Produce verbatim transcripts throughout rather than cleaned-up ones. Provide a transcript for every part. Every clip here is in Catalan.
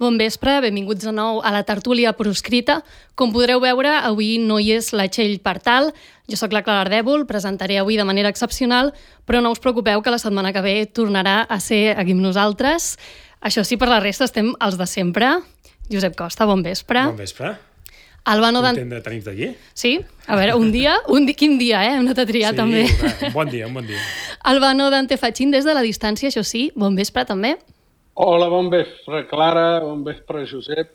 Bon vespre, benvinguts de nou a la tertúlia proscrita. Com podreu veure, avui no hi és la Txell Partal. Jo sóc la Clara Ardèvol, presentaré avui de manera excepcional, però no us preocupeu que la setmana que ve tornarà a ser aquí amb nosaltres. Això sí, per la resta estem els de sempre. Josep Costa, bon vespre. Bon vespre. Albano Dan... Content de tenir-te aquí. Sí? A veure, un dia, un di... quin dia, eh? Hem anat a triar, sí, també. Sí, un bon dia, un bon dia. Albano Dante Fachin, des de la distància, això sí, bon vespre també. Hola, bon vespre, Clara, bon vespre, Josep.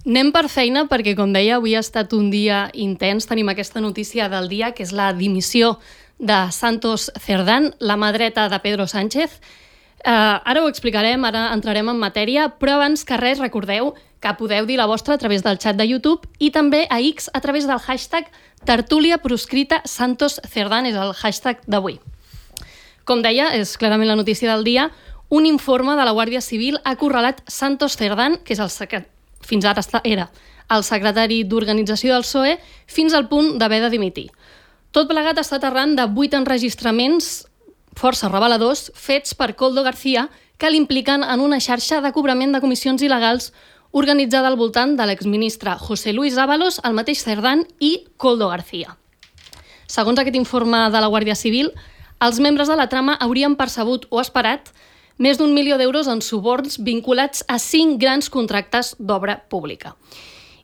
Anem per feina perquè, com deia, avui ha estat un dia intens. Tenim aquesta notícia del dia, que és la dimissió de Santos Cerdán, la mà dreta de Pedro Sánchez. Uh, ara ho explicarem, ara entrarem en matèria, però abans que res recordeu que podeu dir la vostra a través del xat de YouTube i també a X a través del hashtag tertúlia proscrita Santos Cerdán, és el hashtag d'avui. Com deia, és clarament la notícia del dia. Un informe de la Guàrdia Civil ha acorralat Santos Cerdán, que és el secret... fins ara era el secretari d'Organització del P S O E, fins al punt d'haver de dimitir. Tot plegat ha estat arran de vuit enregistraments força reveladors fets per Koldo García que l'impliquen en una xarxa de cobrament de comissions il·legals organitzada al voltant de l'exministre José Luis Ábalos, el mateix Cerdán i Koldo García. Segons aquest informe de la Guàrdia Civil, els membres de la trama haurien percebut o esperat més d'un milió d'euros en suborns vinculats a cinc grans contractes d'obra pública.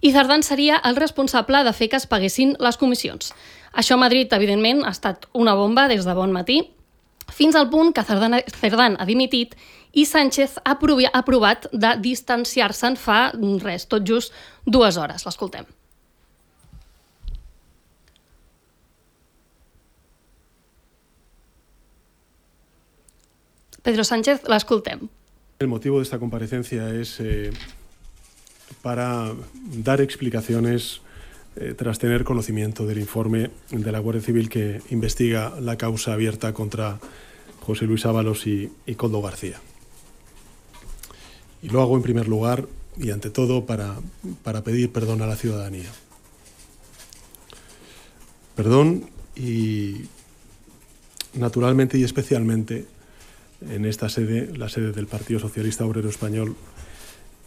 I Cerdán seria el responsable de fer que es paguessin les comissions. Això a Madrid, evidentment, ha estat una bomba des de bon matí, fins al punt que Cerdán, Cerdán ha dimitit i Sánchez ha aprovat de distanciar-se'n fa res, tot just dues hores. L'escoltem. Pedro Sánchez, l'escoltem. El motivo de esta comparecencia es eh, para dar explicaciones eh, tras tener conocimiento del informe de la Guardia Civil que investiga la causa abierta contra José Luis Ábalos y, y Koldo García. Y lo hago en primer lugar y ante todo para, para pedir perdón a la ciudadanía. Perdón y naturalmente y especialmente en esta sede, la sede del Partido Socialista Obrero Español,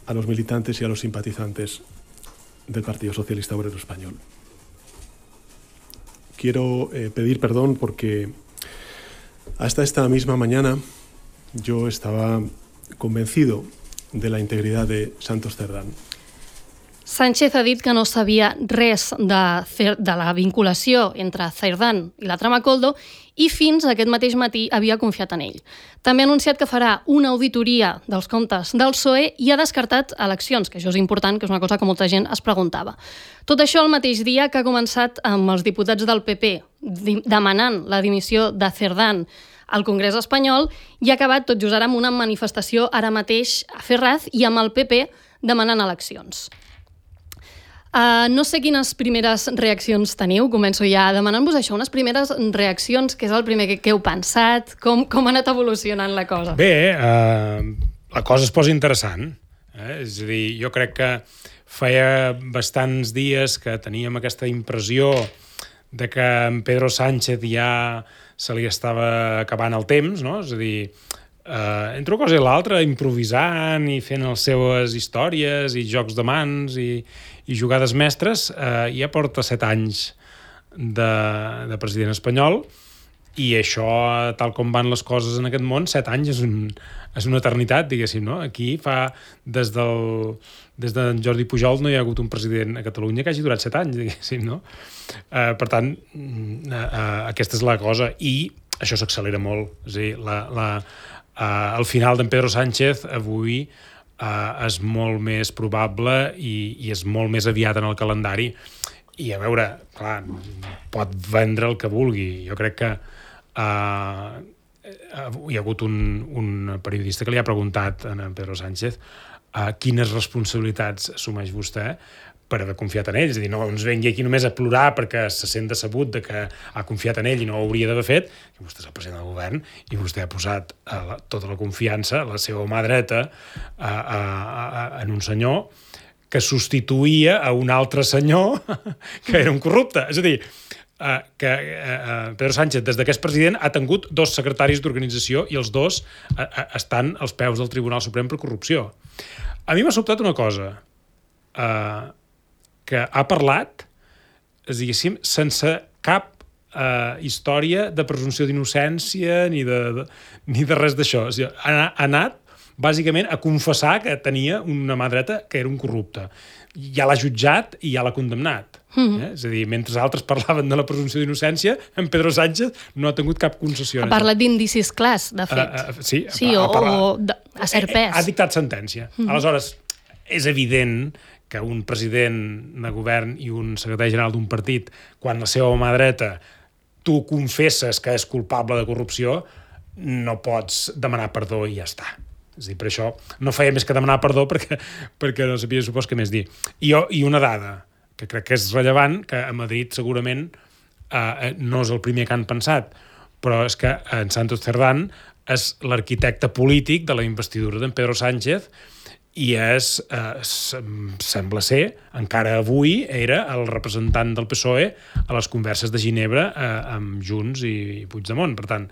a los militantes y a los simpatizantes del Partido Socialista Obrero Español. Quiero eh, pedir perdón porque hasta esta misma mañana yo estaba convencido de la integridad de Santos Cerdán. Sánchez ha dit que no sabia res de, de la vinculació entre Cerdán i la trama Koldo i fins aquest mateix matí havia confiat en ell. També ha anunciat que farà una auditoria dels comptes del P S O E i ha descartat eleccions, que això és important, que és una cosa que molta gent es preguntava. Tot això el mateix dia que ha començat amb els diputats del P P demanant la dimissió de Cerdán al Congrés espanyol i ha acabat tot just ara amb una manifestació ara mateix a Ferraz i amb el P P demanant eleccions. Uh, no sé quines primeres reaccions teniu, començo ja demanant-vos això, unes primeres reaccions, què és el primer que, que heu pensat, com, com ha anat evolucionant la cosa? Bé, uh, la cosa es posa interessant, eh? És a dir, jo crec que feia bastants dies que teníem aquesta impressió de que en Pedro Sánchez ja se li estava acabant el temps, no? És a dir, uh, entre una cosa i l'altra, improvisant i fent les seves històries i jocs de mans i i jugades mestres, eh, ja porta set anys de, de president espanyol i això, tal com van les coses en aquest món, set anys és, un, és una eternitat, diguéssim, no? Aquí fa, des del des de Jordi Pujol no hi ha hagut un president a Catalunya que hagi durat set anys, diguéssim, no? Eh, per tant, eh, eh, aquesta és la cosa i això s'accelera molt. És a dir, la, la, eh, el final d'en Pedro Sánchez avui Uh, és molt més probable i, i és molt més aviat en el calendari i a veure, clar, pot vendre el que vulgui. Jo crec que uh, hi ha hagut un, un periodista que li ha preguntat a en Pedro Sánchez uh, quines responsabilitats assumeix vostè per haver confiat en ell, és a dir, no ens vengui aquí només a plorar perquè se sent decebut de que ha confiat en ell i no ho hauria d'haver fet, que vostè és el president del govern i vostè ha posat uh, la, tota la confiança, la seva mà dreta, uh, uh, uh, en un senyor que substituïa a un altre senyor que era un corrupte. És a dir, uh, que uh, Pedro Sánchez, des que és president, ha tingut dos secretaris d'organització i els dos uh, uh, estan als peus del Tribunal Suprem per corrupció. A mi m'ha sobtat una cosa, uh, que ha parlat, diguéssim, sense cap uh, història de presumpció d'innocència ni de, de, ni de res d'això. O sigui, ha, ha anat bàsicament a confessar que tenia una mà dreta que era un corrupte. Ja l'ha jutjat i ja l'ha condemnat. Mm-hmm. eh? És a dir, mentre altres parlaven de la presumpció d'innocència, en Pedro Sánchez no ha tingut cap concessió. Ha parlat d'indicis clars, de fet. Uh, uh, sí, sí ha, o, ha parlat, o de, a cert pes. Ha, ha dictat sentència. Mm-hmm. Aleshores, és evident que un president de govern i un secretari general d'un partit, quan la seva mà dreta tu confesses que és culpable de corrupció, no pots demanar perdó i ja està. És a dir, per això no feia més que demanar perdó perquè, perquè no sabia, supos, què més dir. I, jo, I una dada, que crec que és rellevant, que a Madrid segurament eh, no és el primer que han pensat, però és que en Santos Cerdán és l'arquitecte polític de la investidura d'en Pedro Sánchez i és, eh, sembla ser, encara avui era el representant del P S O E a les converses de Ginebra eh, amb Junts i Puigdemont. Per tant,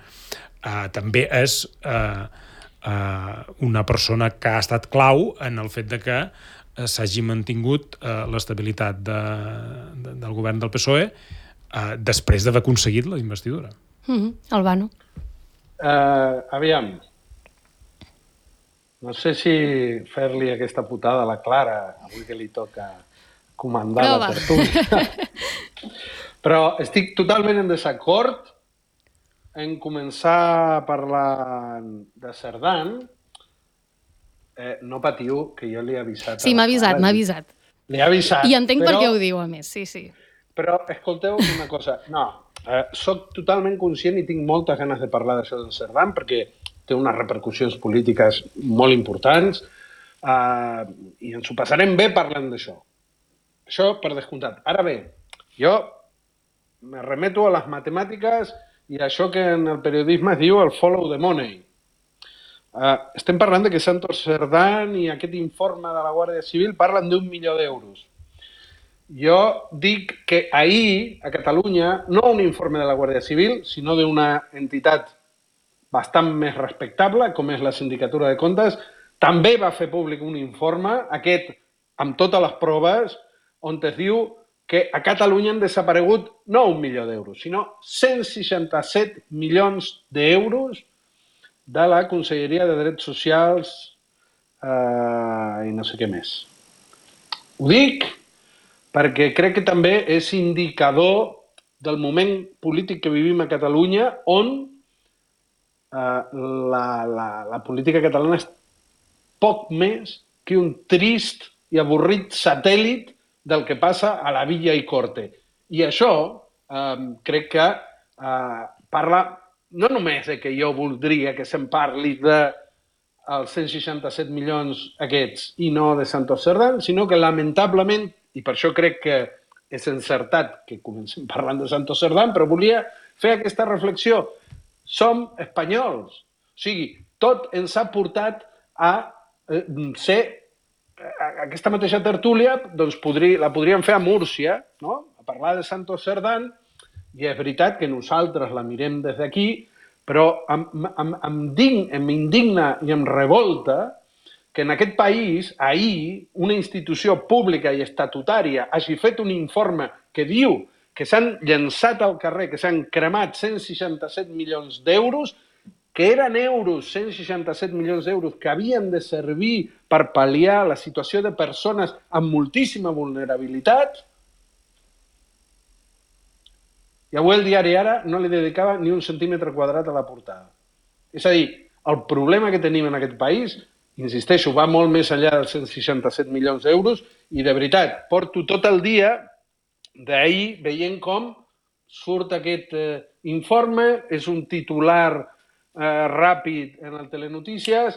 eh, també és eh, eh, una persona que ha estat clau en el fet de que eh, s'hagi mantingut eh, l'estabilitat de, de, del govern del P S O E eh, després d'haver aconseguit la investidura. Mm-hmm. Albano. Uh, aviam, no sé si fer-li aquesta putada a la Clara, avui que li toca comandar Prova. la tertúlia. Però estic totalment en desacord en començar a parlar de Cerdán. Eh, no patiu, que jo li he avisat. Sí, m'ha avisat, m'ha avisat. Li he avisat. I entenc però... per què ho diu, a més, sí, sí. Però escolteu una cosa. No, eh, soc totalment conscient i tinc moltes ganes de parlar d'això de Cerdán perquè té unes repercussions polítiques molt importants eh, i ens ho passarem bé parlant d'això. Això per descomptat. Ara bé, jo me remeto a les matemàtiques i a això que en el periodisme es diu el follow the money. Eh, estem parlant de que Santos Cerdán i aquest informe de la Guàrdia Civil parlen d'un milió d'euros. Jo dic que ahir, a Catalunya, no un informe de la Guàrdia Civil, sinó d'una entitat bastant més respectable, com és la Sindicatura de Comptes, també va fer públic un informe, aquest amb totes les proves, on es diu que a Catalunya han desaparegut no un milió d'euros, sinó cent seixanta-set milions d'euros de la Conselleria de Drets Socials eh, i no sé què més. Ho dic perquè crec que també és indicador del moment polític que vivim a Catalunya, on Uh, la, la, la política catalana és poc més que un trist i avorrit satèl·lit del que passa a la Villa i Corte. I això uh, crec que uh, parla no només de que jo voldria que se'n parli de els cent seixanta-set milions aquests i no de Santos Cerdán, sinó que lamentablement, i per això crec que és encertat que comencem parlant de Santos Cerdán, però volia fer aquesta reflexió. Som espanyols. O sigui, tot ens ha portat a eh, ser... A aquesta mateixa tertúlia doncs podri, la podríem fer a Múrcia, no? A parlar de Santos Cerdán, i és veritat que nosaltres la mirem des d'aquí, però em, em, em, dign, em indigna i em revolta que en aquest país, ahir, una institució pública i estatutària hagi fet un informe que diu que s'han llançat al carrer, que s'han cremat cent seixanta-set milions d'euros, que eren euros, cent seixanta-set milions d'euros, que havien de servir per pal·liar la situació de persones amb moltíssima vulnerabilitat. I avui el diari Ara no li dedicava ni un centímetre quadrat a la portada. És a dir, el problema que tenim en aquest país, insisteixo, va molt més enllà dels cent seixanta-set milions d'euros i, de veritat, porto tot el dia d'ahir veient com surt aquest eh, informe, és un titular eh, ràpid en el Telenotícies,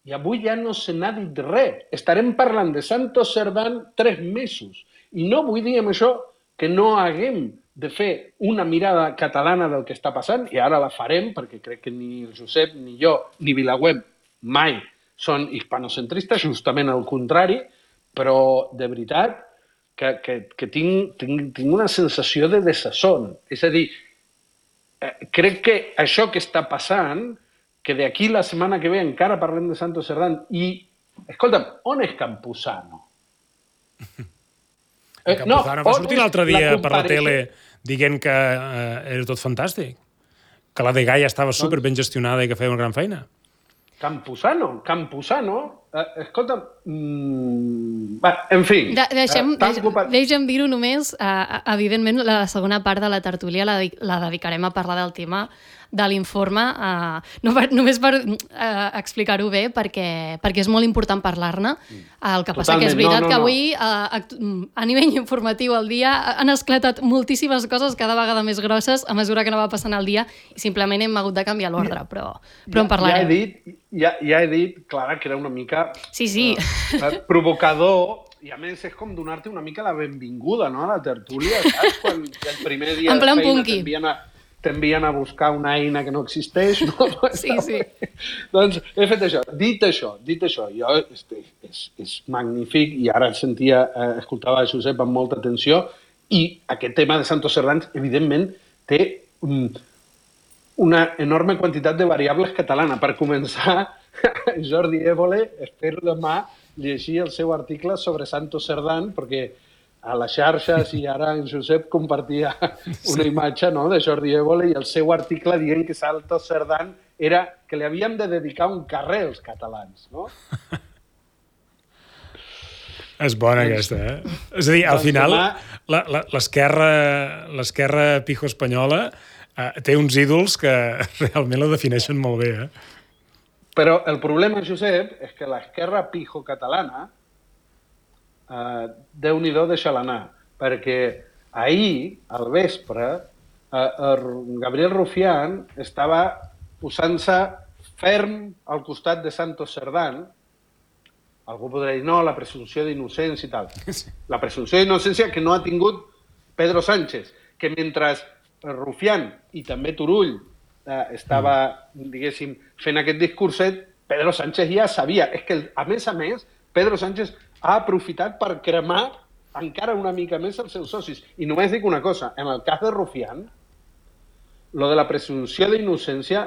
I avui ja no se n'ha dit res. Estarem parlant de Santos Cerdán tres mesos. I no vull dir amb això que no haguem de fer una mirada catalana del que està passant, i ara la farem, perquè crec que ni el Josep, ni jo, ni Vilaweb mai són hispanocentristes, justament al contrari, però de veritat que, que, que tinc, tinc, tinc una sensació de desasson. És a dir, eh, crec que això que està passant, que d'aquí la setmana que ve encara parlem de Santos Cerdán, i, escolta'm, on és Campuzano? Eh, Campuzano no, va sortir l'altre dia per la tele dient que eh, era tot fantàstic, que la Dgaia estava super ben gestionada i que feia una gran feina. Campuzano, Campuzano, eh, escolta, mm, va, en fi... De, deixem, eh, deixem, ocupat... deixem dir-ho només, eh, evidentment la segona part de la tertúlia la, la dedicarem a parlar del tema de l'informe, eh, no per, només per eh, explicar-ho bé, perquè, perquè és molt important parlar-ne. El que passa Totalment, que és veritat no, no, que avui, eh, a nivell informatiu al dia, han esclatat moltíssimes coses cada vegada més grosses a mesura que no va passant el dia i simplement hem hagut de canviar l'ordre, però, però en parlarem. Ja he dit, ja, ja he dit, Clara, que era una mica sí, sí. Uh, provocador, i a més és com donar-te una mica la benvinguda, no?, a la tertúlia, saps? Quan el primer dia de feina t'envien a, t'envien a buscar una eina que no existeix, no? Sí, sí. Doncs he fet això. Dit això, dit això, jo, és, és, és magnífic, i ara sentia, eh, escoltava a Josep amb molta atenció, i aquest tema de Santos Cerdán, evidentment, té um, una enorme quantitat de variables catalanes. Per començar, Jordi Évole, espero demà llegir el seu article sobre Santos Cerdán, perquè a les xarxes i ara en Josep compartia una imatge, no?, de Jordi Évole i el seu article dient que Santos Cerdán era que li havíem de dedicar un carrer als catalans, no? És bona aquesta, eh? És a dir, al final, l'esquerra pijo espanyola eh, té uns ídols que realment la defineixen molt bé, eh? Però el problema, Josep, és que l'esquerra pijo catalana Uh, Déu-n'hi-do, deixa-la anar, perquè ahir, al vespre, uh, uh, Gabriel Rufián estava posant-se ferm al costat de Santos Cerdán. Algú podrà dir, no, la presumpció d'innocència i tal. La presumpció d'innocència que no ha tingut Pedro Sánchez, que mentre Rufián i també Turull uh, estava, diguéssim, fent aquest discurset, Pedro Sánchez ja sabia. És que, a més a més, Pedro Sánchez ha aprofitat per cremar encara una mica més els seus socis. I només dic una cosa, en el cas de Rufián, lo de la presumpció d'innocència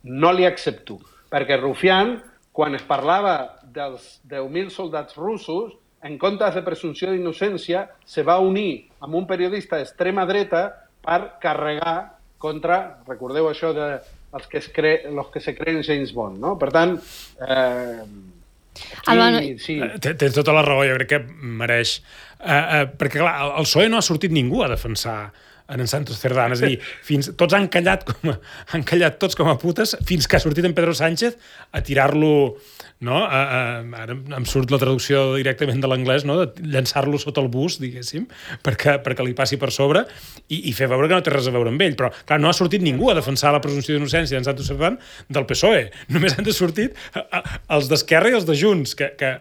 no li accepto, perquè Rufián, quan es parlava dels deu mil soldats russos, en comptes de presumpció d'innocència, se va unir amb un periodista d'extrema dreta per carregar contra, recordeu això de els que, es cre... los que se creen James Bond, no? Per tant, eh... Aquí, sí. Tens tota la raó, jo crec que mereix. Uh, uh, perquè, clar, el P S O E no ha sortit ningú a defensar en Santos Cerdán. És a dir, fins, tots han callat, com a, han callat tots com a putes fins que ha sortit en Pedro Sánchez a tirar-lo, no? A, a, ara em surt la traducció directament de l'anglès, no? De llançar-lo sota el bus, diguéssim, perquè, perquè li passi per sobre i, i fer veure que no té res a veure amb ell. Però, clar, no ha sortit ningú a defensar la presumpció d'innocència d'en Santos Cerdán del P S O E. Només han de sortit els d'Esquerra i els de Junts, que... que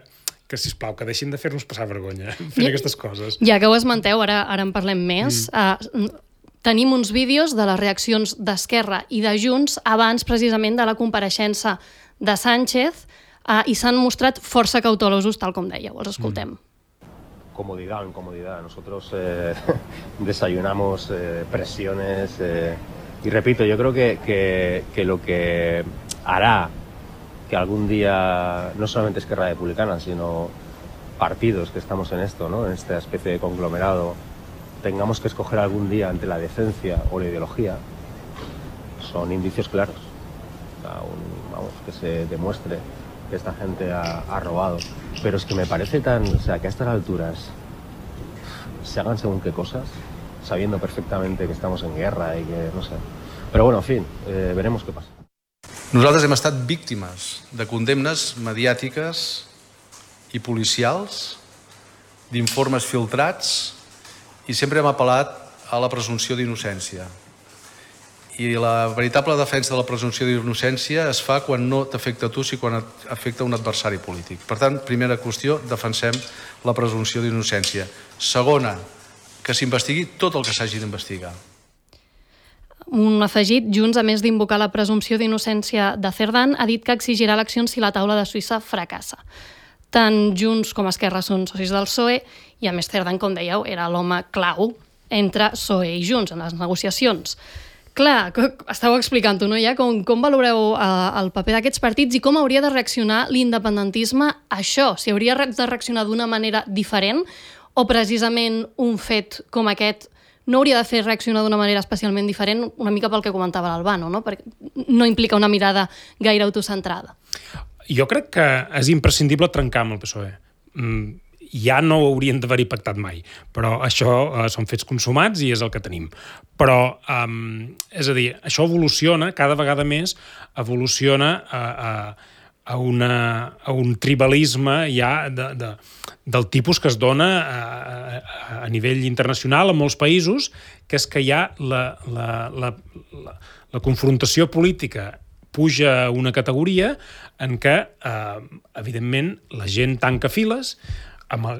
que, sisplau, que deixin de fer-nos passar vergonya fent ja, aquestes coses. Ja que ho esmenteu, ara, ara en parlem més. Mm. Uh, tenim uns vídeos de les reaccions d'Esquerra i de Junts abans, precisament, de la compareixença de Sánchez uh, i s'han mostrat força cautelosos, tal com dèieu. Els escoltem. Mm. Comodidad en comodidad. Nosotros eh, desayunamos eh, presiones eh, y repito, yo creo que, que, que lo que hará que algún día, no solamente Esquerra Republicana, sino partidos que estamos en esto, ¿no?, en esta especie de conglomerado, tengamos que escoger algún día entre la decencia o la ideología, son indicios claros. O sea, un, vamos, que se demuestre que esta gente ha, ha robado. Pero es que me parece tan... O sea, que a estas alturas se hagan según qué cosas, sabiendo perfectamente que estamos en guerra y que no sé... Pero bueno, en fin, eh, veremos qué pasa. Nosaltres hem estat víctimes de condemnes mediàtiques i policials, d'informes filtrats, i sempre hem apel·lat a la presumpció d'innocència. I la veritable defensa de la presumpció d'innocència es fa quan no t'afecta a tu, sinó quan afecta un adversari polític. Per tant, primera qüestió, defensem la presumpció d'innocència. Segona, que s'investigui tot el que s'hagi d'investigar. Un afegit, Junts, a més d'invocar la presumpció d'innocència de Cerdán, ha dit que exigirà eleccions si la taula de Suïssa fracassa. Tant Junts com Esquerra són socis del P S O E i, a més, Cerdán, com dèieu, era l'home clau entre P S O E i Junts en les negociacions. Clar, estàu explicant-ho, no? Ja com, com valoreu eh, el paper d'aquests partits i com hauria de reaccionar l'independentisme a això? Si hauria de reaccionar d'una manera diferent o precisament un fet com aquest no hauria de fer reaccionar d'una manera especialment diferent, una mica pel que comentava l'Albano, no? Perquè no implica una mirada gaire autocentrada. Jo crec que és imprescindible trencar amb el P S O E. Mm, ja no ho haurien d'haver-hi pactat mai, però això eh, són fets consumats i és el que tenim. Però, um, és a dir, això evoluciona, cada vegada més evoluciona a, a, a, una, a un tribalisme ja de, de, del tipus que es dona a, a, a nivell internacional en molts països, que és que hi ha la, la, la, la, la confrontació política puja a una categoria en què, eh, evidentment, la gent tanca files, amb el,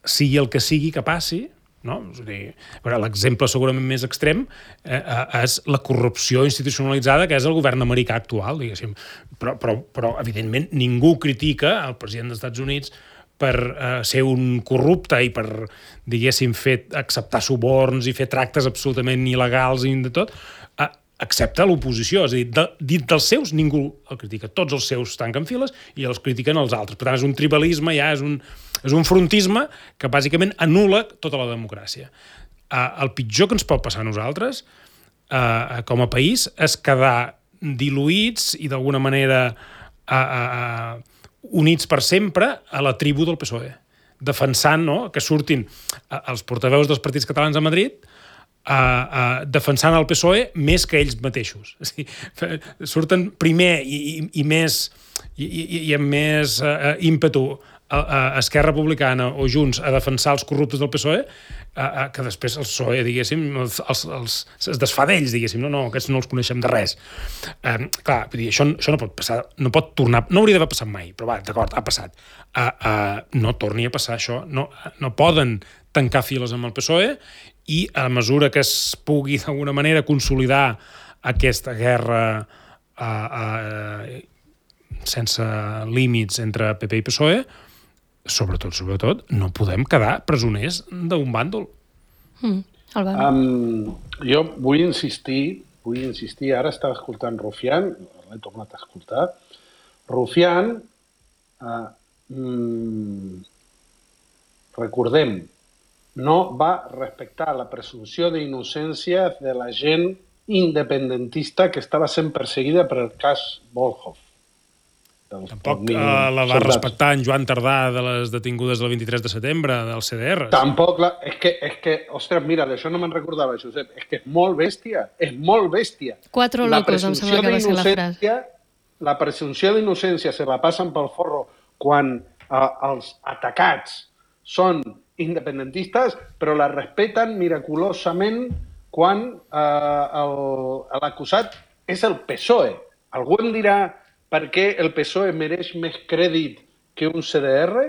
sigui el que sigui que passi, no? És a dir, l'exemple segurament més extrem eh, és la corrupció institucionalitzada que és el govern americà actual, diguéssim. Però, però, però evidentment, ningú critica el president dels Estats Units per eh, ser un corrupte i per, diguéssim, fer, acceptar suborns i fer tractes absolutament il·legals i de tot, eh, excepte l'oposició. És a dir, de, dit dels seus, ningú el critica. Tots els seus tanquen files i els critiquen els altres. Per tant, és un tribalisme, ja és un, és un frontisme que bàsicament anul·la tota la democràcia. Uh, el pitjor que ens pot passar a nosaltres, uh, com a país, és quedar diluïts i d'alguna manera uh, uh, units per sempre a la tribu del P S O E. Defensant, no?, que surtin uh, els portaveus dels partits catalans a Madrid Uh, uh, defensant el P S O E més que ells mateixos. O sigui, surten primer i, i, i més i, i, i amb més uh, ímpetu a, a Esquerra Republicana o Junts a defensar els corruptes del P S O E, uh, uh, que després el P S O E, diguéssim, els, els, els, es desfà d'ells, diguéssim, no, no, aquests no els coneixem de res. Uh, clar, vull dir, això, això no pot passar, no pot tornar, no hauria d'haver passat mai, però va, d'acord, ha passat. Uh, uh, no torni a passar això, no, no poden tancar files amb el P S O E i a mesura que es pugui d'alguna manera consolidar aquesta guerra uh, uh, sense límits entre P P i P S O E, sobretot, sobretot, no podem quedar presoners d'un bàndol. Mm, um, jo vull insistir, vull insistir, ara estava escoltant Rufián, l'he tornat a escoltar, Rufián, uh, mm, recordem, no va respectar la presumpció d'innocència de la gent independentista que estava sent perseguida per el cas Volhov. Tampoc uh, la va respectar en Joan Tardà de les detingudes del vint-i-tres de setembre del C D R. Tampoc, la... és, que, és que, ostres, mira, d'això no me'n recordava, Josep, és que és molt bèstia, és molt bèstia. Quatre locos, em sembla que va ser la frase. La presumpció d'innocència se la passen pel forro quan uh, els atacats són independentistes, però la respeten miraculosament quan eh, l'acusat és el P S O E. Algú em dirà per què el P S O E mereix més crèdit que un C D R?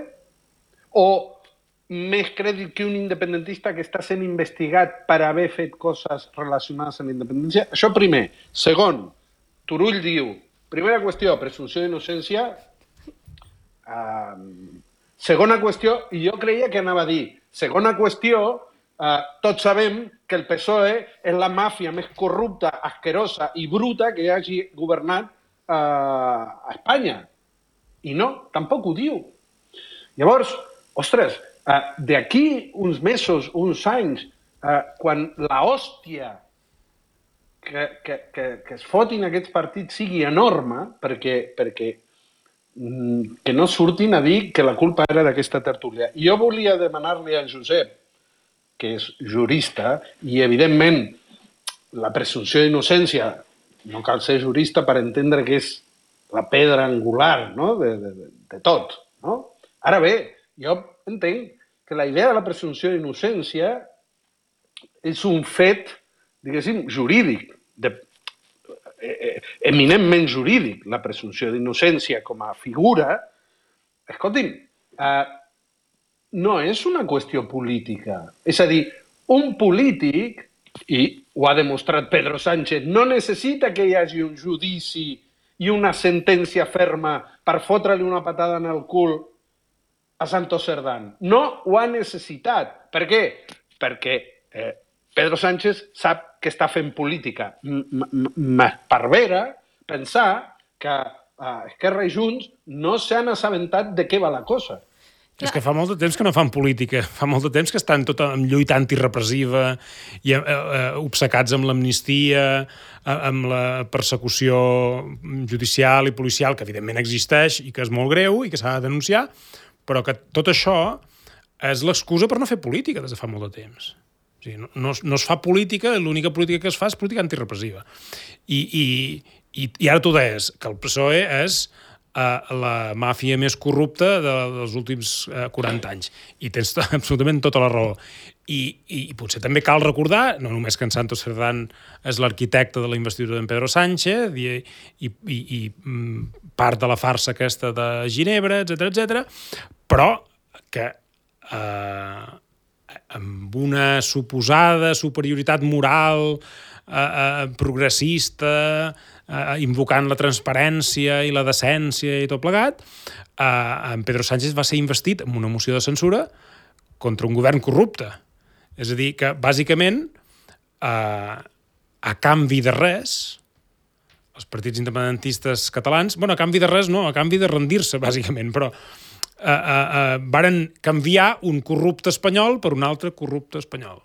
O més crèdit que un independentista que està sent investigat per haver fet coses relacionades amb la independència? Això primer. Segon, Turull diu, primera qüestió, presumpció d'innocència. Eh, Segona qüestió, i jo creia que anava a dir, segona qüestió, eh, tots sabem que el P S O E és la màfia més corrupta, asquerosa i bruta que hagi governat eh, a Espanya. I no, tampoc ho diu. Llavors, ostres, eh, d'aquí uns mesos, uns anys, eh, quan l'hòstia que, que, que, que es fotin aquests partits sigui enorme, perquè, perquè que no surtin a dir que la culpa era d'aquesta tertúlia. I jo volia demanar-li a Josep, que és jurista, i evidentment la presumpció d'innocència, no cal ser jurista per entendre que és la pedra angular, no?, de, de, de tot. No? Ara bé, jo entenc que la idea de la presumpció d'innocència és un fet, diguéssim, jurídic. De, eh, eminentment jurídic, la presumpció d'innocència com a figura, escolti'm, eh, no és una qüestió política. És a dir, un polític, i ho ha demostrat Pedro Sánchez, no necessita que hi hagi un judici i una sentència ferma per fotre-li una patada en el cul a Santos Cerdán. No ho ha necessitat. Per què? Perquè eh, Pedro Sánchez sap que està fent política. M'esparvera pensar que eh, Esquerra i Junts no s'han assabentat de què va la cosa. És que fa molt de temps que no fan política, fa molt de temps que estan tot en lluita antirepressiva i eh, eh, obcecats amb l'amnistia, eh, amb la persecució judicial i policial, que evidentment existeix i que és molt greu i que s'ha de denunciar, però que tot això és l'excusa per no fer política des de fa molt de temps. O sigui, no, no, no es fa política, l'única política que es fa és política antirepressiva. I, i, i, i ara tu deies que el P S O E és la màfia més corrupta dels últims quaranta anys. I tens absolutament tota la raó. I, i, i potser també cal recordar, no només que en Santos Cerdán és l'arquitecte de la investidura d'en Pedro Sánchez i, i, i, i part de la farsa aquesta de Ginebra, etcètera, etcètera, però que eh, amb una suposada superioritat moral eh, eh, progressista, Uh, invocant la transparència i la decència i tot plegat, uh, en Pedro Sánchez va ser investit amb una moció de censura contra un govern corrupte. És a dir, que bàsicament, uh, a canvi de res, els partits independentistes catalans, bueno, a canvi de res no, a canvi de rendir-se, bàsicament, però uh, uh, uh, varen canviar un corrupte espanyol per un altre corrupte espanyol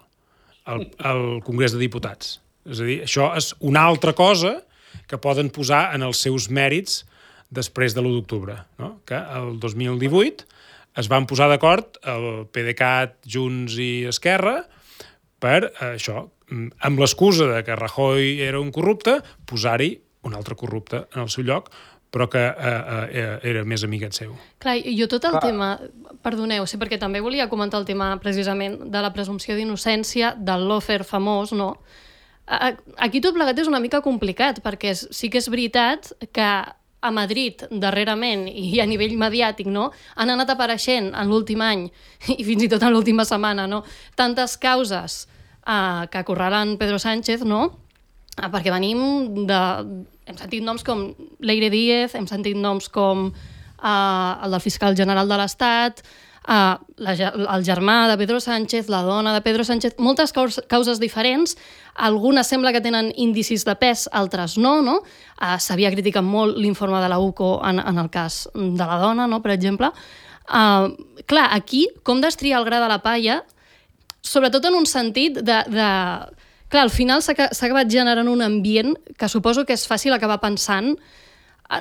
al, al Congrés de Diputats. És a dir, això és una altra cosa que poden posar en els seus mèrits després de l'u d'octubre, no? Que el dos mil divuit es van posar d'acord el PDeCAT, Junts i Esquerra per eh, això, amb l'excusa de que Rajoy era un corrupte, posar-hi un altre corrupte en el seu lloc, però que eh, eh, era més amigat seu. Clar, jo tot el Clar. tema... Perdoneu, sí, perquè també volia comentar el tema precisament de la presumpció d'innocència, del lawfare famós, no? Aquí tot plegat és una mica complicat, perquè sí que és veritat que a Madrid, darrerament, i a nivell mediàtic, no, han anat apareixent en l'últim any, i fins i tot en l'última setmana, no, tantes causes eh, que acorralen Pedro Sánchez, no, eh, perquè venim de... Hem sentit noms com Leire Díez, hem sentit noms com eh, el del fiscal general de l'Estat, Uh, la, el germà de Pedro Sánchez, la dona de Pedro Sánchez, moltes causes diferents, algunes sembla que tenen indicis de pes, altres no, no? Uh, s'havia criticat molt l'informe de la U C O en, en el cas de la dona, no?, per exemple. Uh, clar, aquí, com destriar el gra de la palla, sobretot en un sentit de... de... Clar, al final s'ha acabat generant un ambient que suposo que és fàcil acabar pensant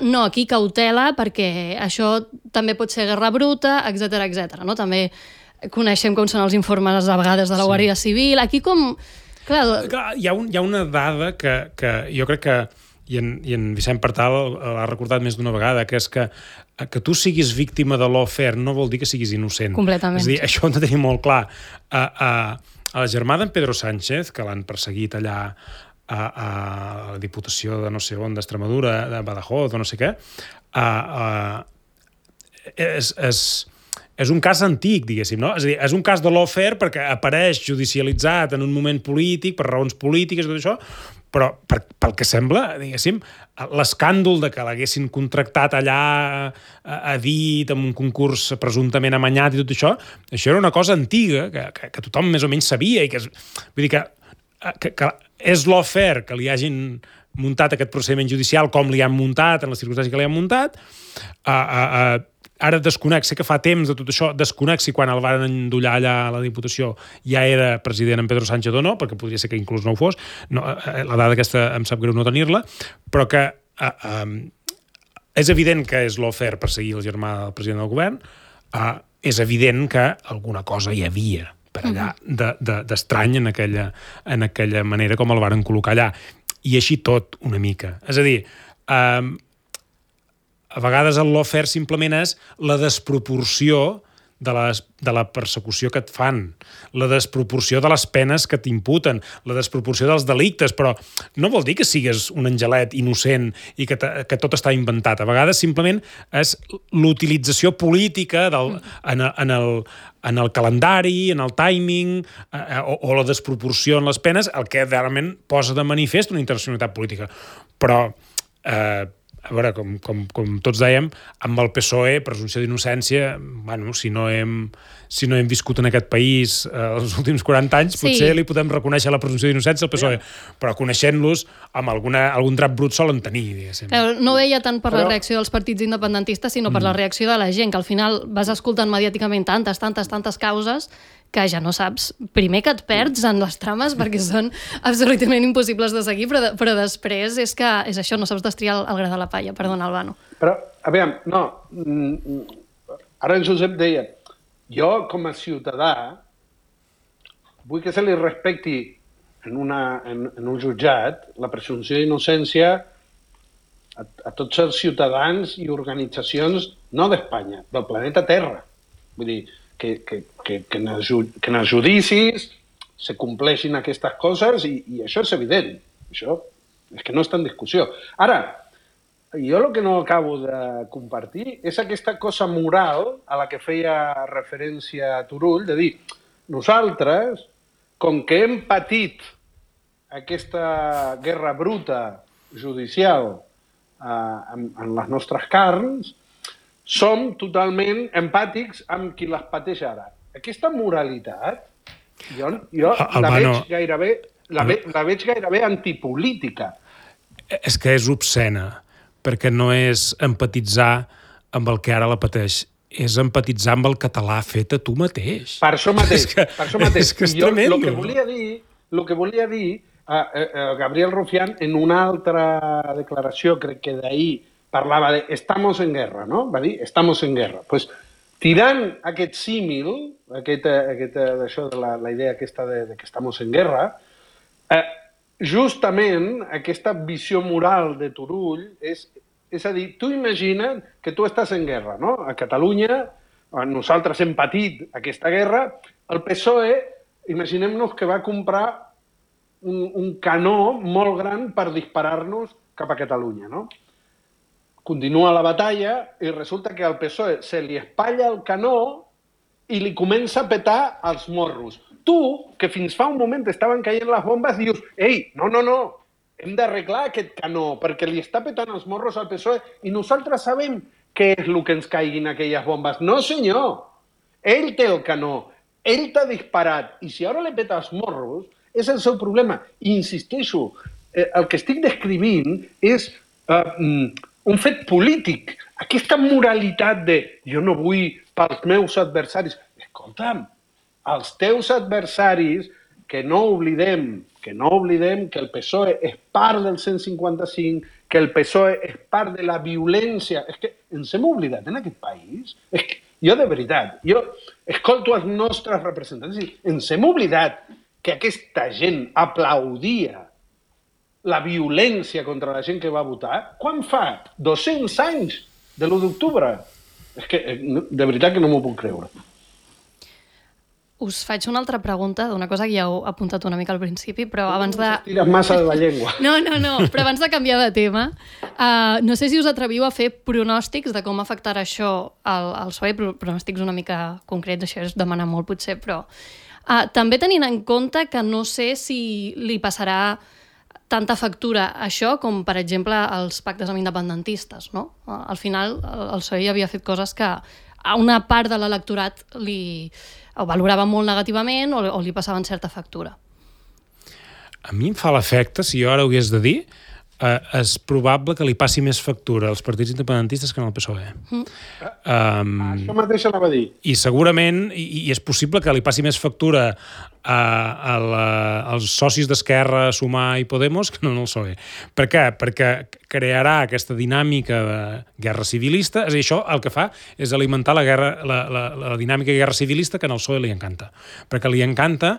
no, aquí cautela, perquè això també pot ser guerra bruta, etcètera, etcètera. No? També coneixem com són els informes a vegades de la Guàrdia Civil. Aquí com... Clar, Clar hi, ha un, hi ha una dada que, que jo crec que, i en, i en Vicent Partal l'ha recordat més d'una vegada, que és que que tu siguis víctima de lawfare no vol dir que siguis innocent. Completament. És a dir, això ho hem de tenir molt clar. A, a, a la germà d'en Pedro Sánchez, que l'han perseguit allà a, a la Diputació de no sé on, d'Extremadura, de Badajoz o no sé què, a, a, és, és, és un cas antic, diguéssim, no? És a dir, és un cas de lawfare perquè apareix judicialitzat en un moment polític, per raons polítiques i tot això, però per, pel que sembla, diguéssim, l'escàndol de que l'haguessin contractat allà a, a dit, amb un concurs presumptament amanyat i tot això, això era una cosa antiga que, que, que tothom més o menys sabia i que, és, vull dir que, que, que és lawfare que li hagin muntat aquest procediment judicial com li han muntat, en les circumstàncies que li han muntat. Uh, uh, uh, ara desconec, sé que fa temps de tot això, desconec si quan el van endollar allà a la Diputació ja era president en Pedro Sánchez o no, perquè podria ser que inclús no ho fos. No, uh, la dada aquesta em sap greu no tenir-la, però que uh, um, és evident que és lawfare perseguir el germà del president del govern, uh, és evident que alguna cosa hi havia per allà d'estrany de, de, en, aquella, en aquella manera com el varen col·locar allà. I així tot, una mica. És a dir, um, a vegades el lawfare simplement és la desproporció de, les, de la persecució que et fan, la desproporció de les penes que t'imputen, la desproporció dels delictes, però no vol dir que sigues un angelet innocent i que, que tot està inventat. A vegades simplement és l'utilització política del, en, en, el, en el calendari, en el timing eh, o, o la desproporció en les penes, el que realment posa de manifest una intencionalitat política. Però eh, a veure, com, com, com tots dèiem, amb el P S O E, presumpció d'innocència, bueno, si no hem, si no hem viscut en aquest país eh, els últims quaranta anys, sí, potser li podem reconèixer la presumpció d'innocència al P S O E, però coneixent-los, amb alguna, algun drap brut solen tenir, diguéssim. No veia tant per però... la reacció dels partits independentistes, sinó per mm. la reacció de la gent, que al final vas escoltant mediàticament tantes, tantes, tantes causes que ja no saps, primer que et perds en les trames perquè són absolutament impossibles de seguir, però, de, però després és que és això, no saps destriar el, el gra de la palla. Perdona, Albano. Però, a veure, no, ara en Josep deia, jo com a ciutadà vull que se li respecti en, una, en, en un jutjat la presumpció d'innocència a, a tots els ciutadans i organitzacions, no d'Espanya, del planeta Terra. Vull dir, que, que, que, que, en els, que en els judicis se compleixin aquestes coses i, i això és evident. Això és que no està en discussió. Ara, jo el que no acabo de compartir és aquesta cosa moral a la que feia referència Turull, de dir, nosaltres, com que hem patit aquesta guerra bruta judicial eh, en, en les nostres carns, som totalment empàtics amb qui les pateix ara. Aquesta moralitat, jo, jo el, la, veig veig gairebé, la, ve, la veig gairebé antipolítica. És que és obscena, perquè no és empatitzar amb el que ara la pateix, és empatitzar amb el català fet a tu mateix. Per això mateix. És que, per això mateix. És que és jo, tremendo. El que volia dir, el que volia dir uh, uh, Gabriel Rufián, en una altra declaració, crec que d'ahir, parlava de estamos en guerra, no? Va dir estamos en guerra. Pues, tirant aquest símil, aquest, aquest, això de la, la idea aquesta de, de que estamos en guerra, eh, justament aquesta visió moral de Turull és, és a dir, tu imagina't que tu estàs en guerra, no? A Catalunya, nosaltres hem patit aquesta guerra, el P S O E, imaginem-nos que va comprar un, un canó molt gran per disparar-nos cap a Catalunya, no? Continua la batalla i resulta que al P S O E se li espatlla el canó i li comença a petar els morros. Tu, que fins fa un moment estaven caient les bombes, dius, ei, no, no, no, hem d'arreglar aquest canó perquè li està petant els morros al P S O E i nosaltres sabem què és el que ens caiguin aquelles bombes. No, senyor, ell té el canó, ell t'ha disparat i si ara li peta els morros és el seu problema. I insisteixo, eh, el que estic descrivint és eh, un fet polític, aquesta moralitat de jo no vull pels meus adversaris. Escolta'm, els teus adversaris, que no oblidem, que no oblidem que el P S O E és part del cent cinquanta-cinc, que el P S O E és part de la violència. És que ens hem oblidat en aquest país. És que jo, de veritat, jo escolto els nostres representants i ens hem oblidat que aquesta gent aplaudia la violència contra la gent que va votar, quan fa? dos-cents anys de l'u d'octubre? És que, de veritat que no m'ho puc creure. Us faig una altra pregunta d'una cosa que ja heu apuntat una mica al principi, però abans de... Tires massa de la llengua. No, no, no, però abans de canviar de tema, uh, no sé si us atreviu a fer pronòstics de com afectarà això al, al P S O E, pronòstics una mica concrets, això és demanar molt potser, però uh, també tenint en compte que no sé si li passarà tanta factura això com, per exemple, els pactes amb independentistes, no? Al final, el P S O E ja havia fet coses que a una part de l'electorat li ho valorava molt negativament o, o li passaven certa factura. A mi em fa l'efecte, si jo ara ho hagués de dir, eh, és probable que li passi més factura als partits independentistes que en el P S O E. Mm. Um, Això mateix anava a dir. I segurament, i, i és possible que li passi més factura a, a la, als socis d'Esquerra, Sumar i Podemos que no en el P S O E. Per què? Perquè crearà aquesta dinàmica de guerra civilista, és a dir, això el que fa és alimentar la, guerra, la, la, la dinàmica de guerra civilista que en el P S O E li encanta. Perquè li encanta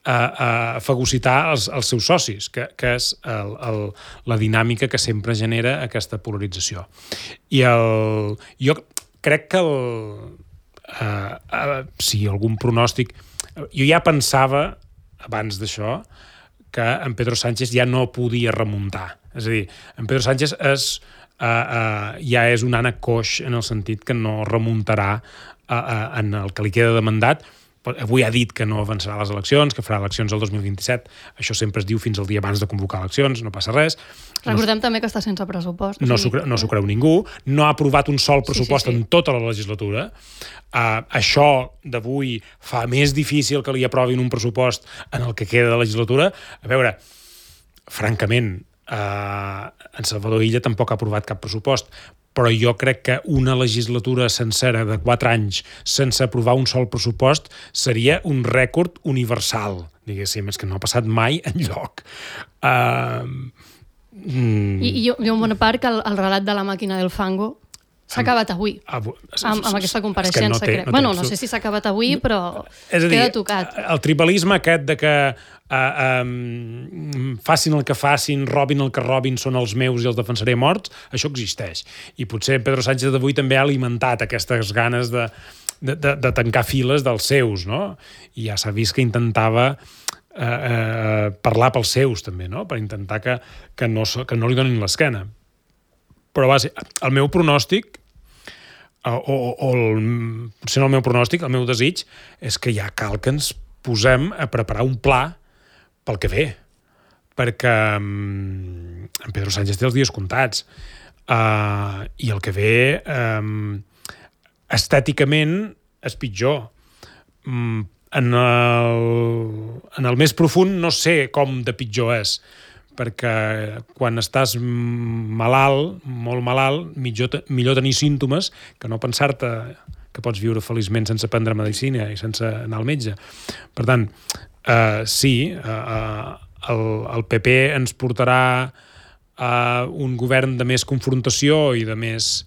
a, a fagocitar els, els seus socis, que, que és el, el, la dinàmica que sempre genera aquesta polarització. I el, jo crec que el, uh, uh, si algun pronòstic... Jo ja pensava, abans d'això, que en Pedro Sánchez ja no podia remuntar. És a dir, en Pedro Sánchez és, uh, uh, ja és un ànec coix en el sentit que no remuntarà uh, uh, en el que li queda de mandat. Avui ha dit que no avançarà les eleccions, que farà eleccions el dos mil vint-i-set. Això sempre es diu fins al dia abans de convocar eleccions, no passa res. Recordem no, també que està sense pressupost. No s'ho no s'ho creu ningú. No ha aprovat un sol pressupost sí, sí, sí. en tota la legislatura. Uh, això d'avui fa més difícil que li aprovin un pressupost en el que queda de legislatura. A veure, francament, uh, en Salvador Illa tampoc ha aprovat cap pressupost, però jo crec que una legislatura sencera de quatre anys sense aprovar un sol pressupost seria un rècord universal, diguéssim, és que no ha passat mai enlloc. Uh, mm. I, i hi ha una part que el, el relat de la màquina del fango s'ha acabat avui, amb, amb aquesta compareixença. No té, no té, bueno, no sé si s'ha acabat avui, però és a dir, queda tocat. El tribalisme aquest de que uh, um, facin el que facin, robin el que robin, són els meus i els defensaré morts, això existeix. I potser Pedro Sánchez d'avui també ha alimentat aquestes ganes de, de, de, de tancar files dels seus, no? I ja s'ha vist que intentava uh, uh, parlar pels seus, també, no? Per intentar que, que, no, que no li donin l'esquena. Però va ser, el meu pronòstic, o, o, o el, potser no el meu pronòstic, el meu desig, és que ja cal que ens posem a preparar un pla pel que ve, perquè um, en Pedro Sánchez té els dies comptats, uh, i el que ve um, estèticament és pitjor. Um, en, el, en el més profund no sé com de pitjor és, perquè quan estàs malalt, molt malalt, millor, millor tenir símptomes que no pensar-te que pots viure feliçment sense prendre medicina i sense anar al metge. Per tant, uh, sí, uh, el, el P P ens portarà a un govern de més confrontació i de més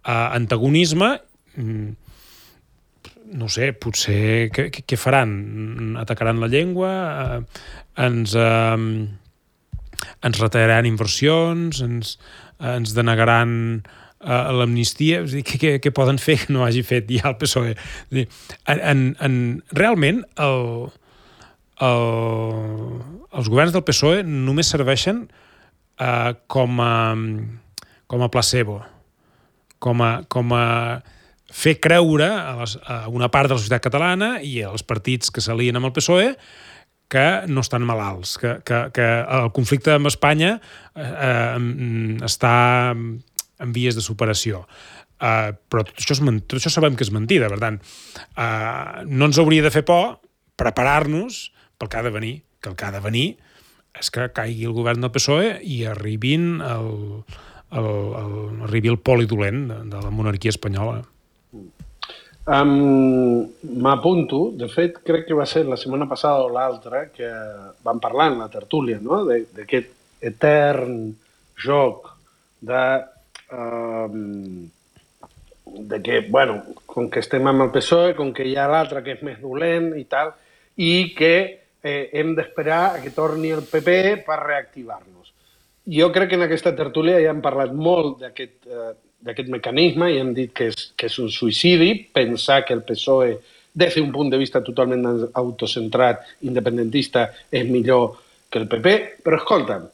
uh, antagonisme. Mm, no sé, potser què, què faran? Atacaran la llengua? Uh, ens... Uh, ens retallaran inversions, ens, ens denegaran uh, l'amnistia, és a dir, què, què poden fer que no hagi fet ja el P S O E? És a dir, en, en, realment el, el, els governs del P S O E només serveixen uh, com, a, com a placebo, com a, com a fer creure a, les, a una part de la societat catalana i als partits que s'alien amb el P S O E que no estan malalts, que, que, que el conflicte amb Espanya eh, està en vies de superació. Uh, però tot això, és, tot això sabem que és mentida, per tant, uh, no ens hauria de fer por preparar-nos pel que ha de venir, que el que ha de venir és que caigui el govern del P S O E i arribin el, el, el, arribi el poli dolent de, de la monarquia espanyola. Um, M'apunto, de fet, crec que va ser la setmana passada o l'altra que vam parlar en la tertúlia, no? D'aquest etern joc de, um, de que, bueno, com que estem amb el P S O E, com que hi ha l'altre que és més dolent i tal, i que eh, hem d'esperar a que torni el P P per reactivar-nos. Jo crec que en aquesta tertúlia ja hem parlat molt d'aquest eh, d'aquest mecanisme i hem dit que és, que és un suïcidi, pensar que el P S O E, des d'un punt de vista totalment autocentrat, independentista, és millor que el P P, però escolta'm,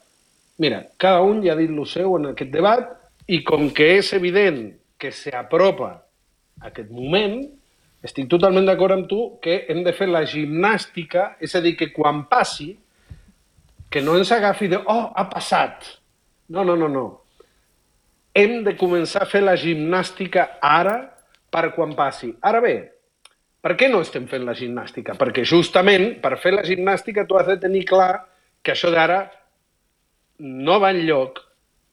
mira, cada un ja ha dit el seu en aquest debat i com que és evident que s'apropa aquest moment, estic totalment d'acord amb tu que hem de fer la gimnàstica, és a dir, que quan passi, que no ens agafi de, oh, ha passat. No, no, no, no. Hem de començar a fer la gimnàstica ara per quan passi. Ara bé, per què no estem fent la gimnàstica? Perquè justament per fer la gimnàstica tu has de tenir clar que això d'ara no va enlloc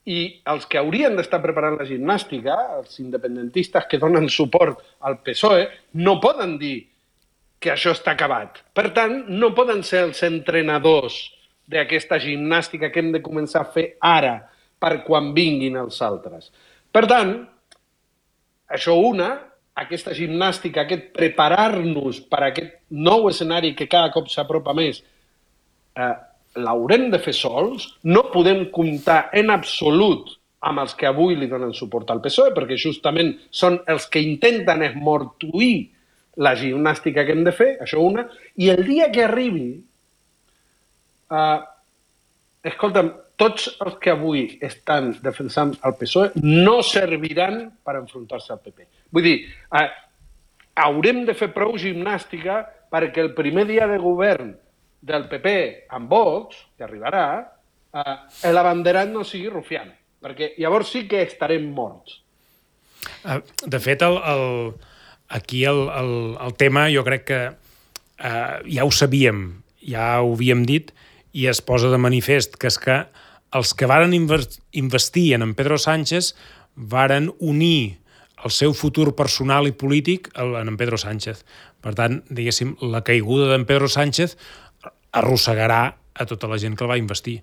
i els que haurien d'estar preparant la gimnàstica, els independentistes que donen suport al P S O E, no poden dir que això està acabat. Per tant, no poden ser els entrenadors d'aquesta gimnàstica que hem de començar a fer ara per quan vinguin els altres. Per tant, això una, aquesta gimnàstica, aquest preparar-nos per a aquest nou escenari que cada cop s'apropa més, eh, l'haurem de fer sols, no podem comptar en absolut amb els que avui li donen suport al P S O E, perquè justament són els que intenten esmortuir la gimnàstica que hem de fer, això una, i el dia que arribi, eh, escolta'm, tots els que avui estan defensant el P S O E no serviran per enfrontar-se al P P. Vull dir, eh, haurem de fer prou gimnàstica perquè el primer dia de govern del P P amb Vox, que arribarà, eh, l'abanderat no sigui Rufián, perquè llavors sí que estarem morts. De fet, el, el, aquí el, el, el tema jo crec que eh, ja ho sabíem, ja ho havíem dit, i es posa de manifest, que és que els que varen investir en Pedro Sánchez varen unir el seu futur personal i polític en en Pedro Sánchez. Per tant, diguéssim, la caiguda d'en Pedro Sánchez arrossegarà a tota la gent que el va investir,